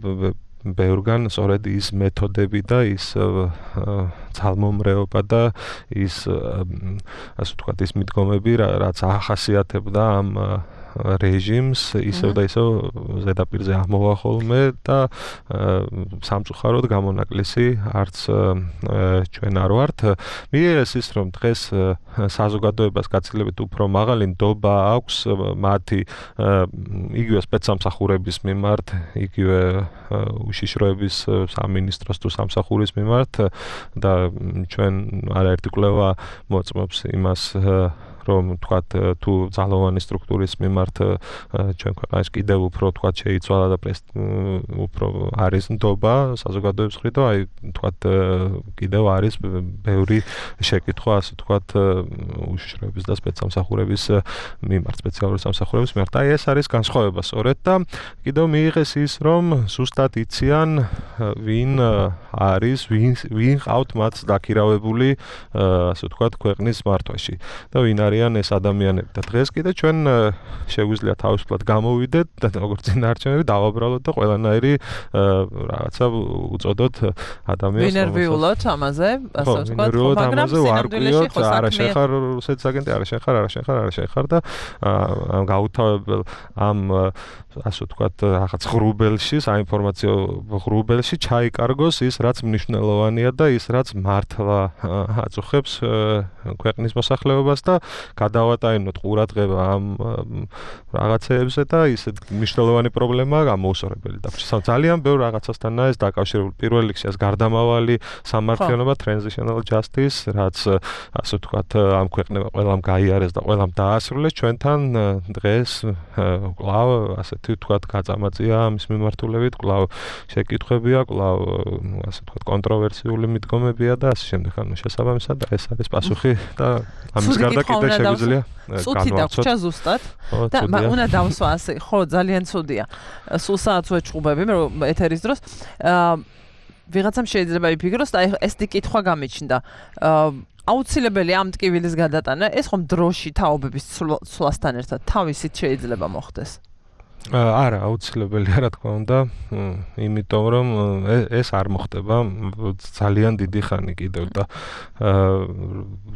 ბევრგან სწორედ ის მეთოდები და ის ძალმომრეობა და ის ასე ვთქვათ, ის მიდგომები, რაც ახასიათებდა ამ რეჟიმს, ისევ და ისევ ზედაპირზე ამოვა ხოლმე და სამწუხაროდ გამონაკლისი არც ჩვენ არ ვართ. მიიღეს ის, რომ დღეს საზოგადოებას გაცილებით უფრო მაღალი ნდობა აქვს მათი იგივე სპეცსამსახურების მიმართ, იგივე უშიშროების სამინისტროს თუ სამსახურის მიმართ და ჩვენ არაერთი კვლევა მოწმობს იმას, რომ თქვათ თუ ძალოვანი სტრუქტურის მიმართ ჩვენ ქვეყანაში კიდევ უფრო თქვათ შეიცვალა და უფრო არის ნდობა საზოგადოების მხრიდან, აი თქვათ კიდევ არის ბევრი შეკითხვა, ასე თქვათ, უშიშროების და სპეცსამსახურების მიმართ, სპეციალური სამსახურების მიმართ. აი ეს არის განსხვავება სწორედ და კიდევ მიიღეს ის, რომ ზუსტად იციან ვინ არის, ვინ ყავთ მათ დაქირავებული, ასე თქვათ, ქვეყნის მართვაში და ვინ არის ეს ადამიანები და დღეს კიდე ჩვენ შეგვიძლია თავისუფლად გამოვიდეთ და როგორც წინაარჩევნები დავაბრალოთ და ყველანაირი რაღაცა უწოდოთ ადამიანს ვინერვიულოთ ამაზე, ასე ვთქვათ, მაგრამ ვარკვიოთ, არა შეხარ რუსეთის აგენტი, არა შეხარ და გაუთავებელ ამ ასე ვთქვათ, რაღაც ღრუბელში, საინფორმაციო ღრუბელში ჩაიკარგოს ის, რაც მნიშვნელოვანია და ის, რაც მართლა აწუხებს ქვეყნის მოსახლეობას და გადავატაინოთ ყურადღება ამ რაღაცეებზე და ისეთ მნიშვნელოვანი პრობლემაა გამოუსწორებელი და ძალიან ბევრ რაღაცასთანაა ეს დაკავშირებული. პირველ რიგში ეს გარდამავალი სამართლიანობა, transitional justice, რაც ასე ვთქვათ, ამ ქვეყნებმა ყველამ გაიარეს და ყველამ დაასრულეს, ჩვენთან დღეს კვლავ ასეთი ვთქვათ გაწამაწია ამის მიმართულებით, კვლავ შეკითხვებია, კვლავ ასე ვთქვათ კონტროვერსიული მიდგომებია და ასე შემდეგ. ანუ შესაბამისად ეს არის პასუხი და ამის გარდა კიდე შეგვიძლია ცუდი დაგვჭა ზუსტად და უნდა დავსვა ასე, ხო, ძალიან ცუდია. სულ საათს ვეჭუბები რომ ეთერის დროს ვიღაცამ შეიძლება იფიქროს და ეს კითხვა გამიჩნდა. აუცილებელი ამ ტკივილის გადატანა, ეს ხომ დროში თაობების ცვლასთან ერთად თავისით შეიძლება მოხდეს? არა, აუცილებელია, რა თქმა უნდა, იმიტომ რომ ეს არ მოხდება ძალიან დიდი ხანი კიდევ და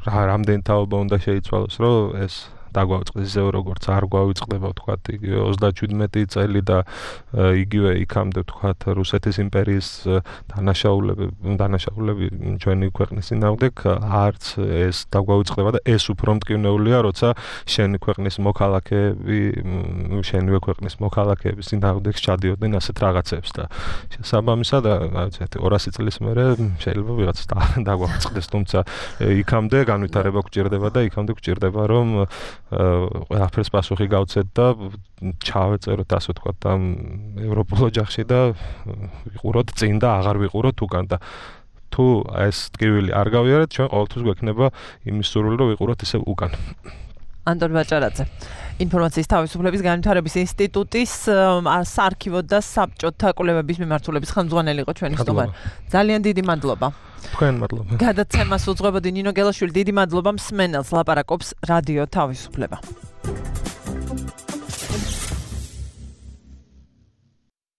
რამდენი თაობა უნდა შეიცვალოს, რომ ეს დაგვაუწყდეს ისევ როგორც არ გვავიწყდება, ვთქვათ, იგივე 37 წელი და იგივე იქამდე, ვთქვათ, რუსეთის იმპერიის დანაშაულები ჩვენი ქვეყნის წინააღმდეგ არც ეს დაგვაუწყდება და ეს უფრო მტკივნეულია, როცა შენი ქვეყნის მოქალაქეების წინააღმდეგ ჩადიოდნენ ასეთ რაღაცებს და შესაბამისად, რაღაცა 200 წლის მერე შეიძლება ვიღაც დაგვაუწყდეს, თუმცა იქამდე განვითარება გვჭირდება და იქამდე გვჭირდება, რომ ყველაფერს პასუხი გავცეთ და ჩავეწეროთ, ასე ვთქვათ, ამ ევროპულ ოჯახში და ვიყუროთ წინ და აღარ ვიყუროთ უკან და თუ ეს ტკივილი არ გავიარეთ, ჩვენ ყოველთვის გვექნება იმის სურვილი, რომ ვიყუროთ ისევ უკან. ანტონ ბაჭარაძე, ინფორმაციის თავისუფლების განვითარების ინსტიტუტის საარქივო და საბჭოთა კვლევების მიმართულების ხელმძღვანელი იყო ჩვენი სტუმარი. ძალიან დიდი მადლობა. თქვენ მადლობა. გადაცემას უძღვებოდი ნინო გელაშვილი, დიდი მადლობა მსმენელს, ლაპარაკობს რადიო თავისუფლება.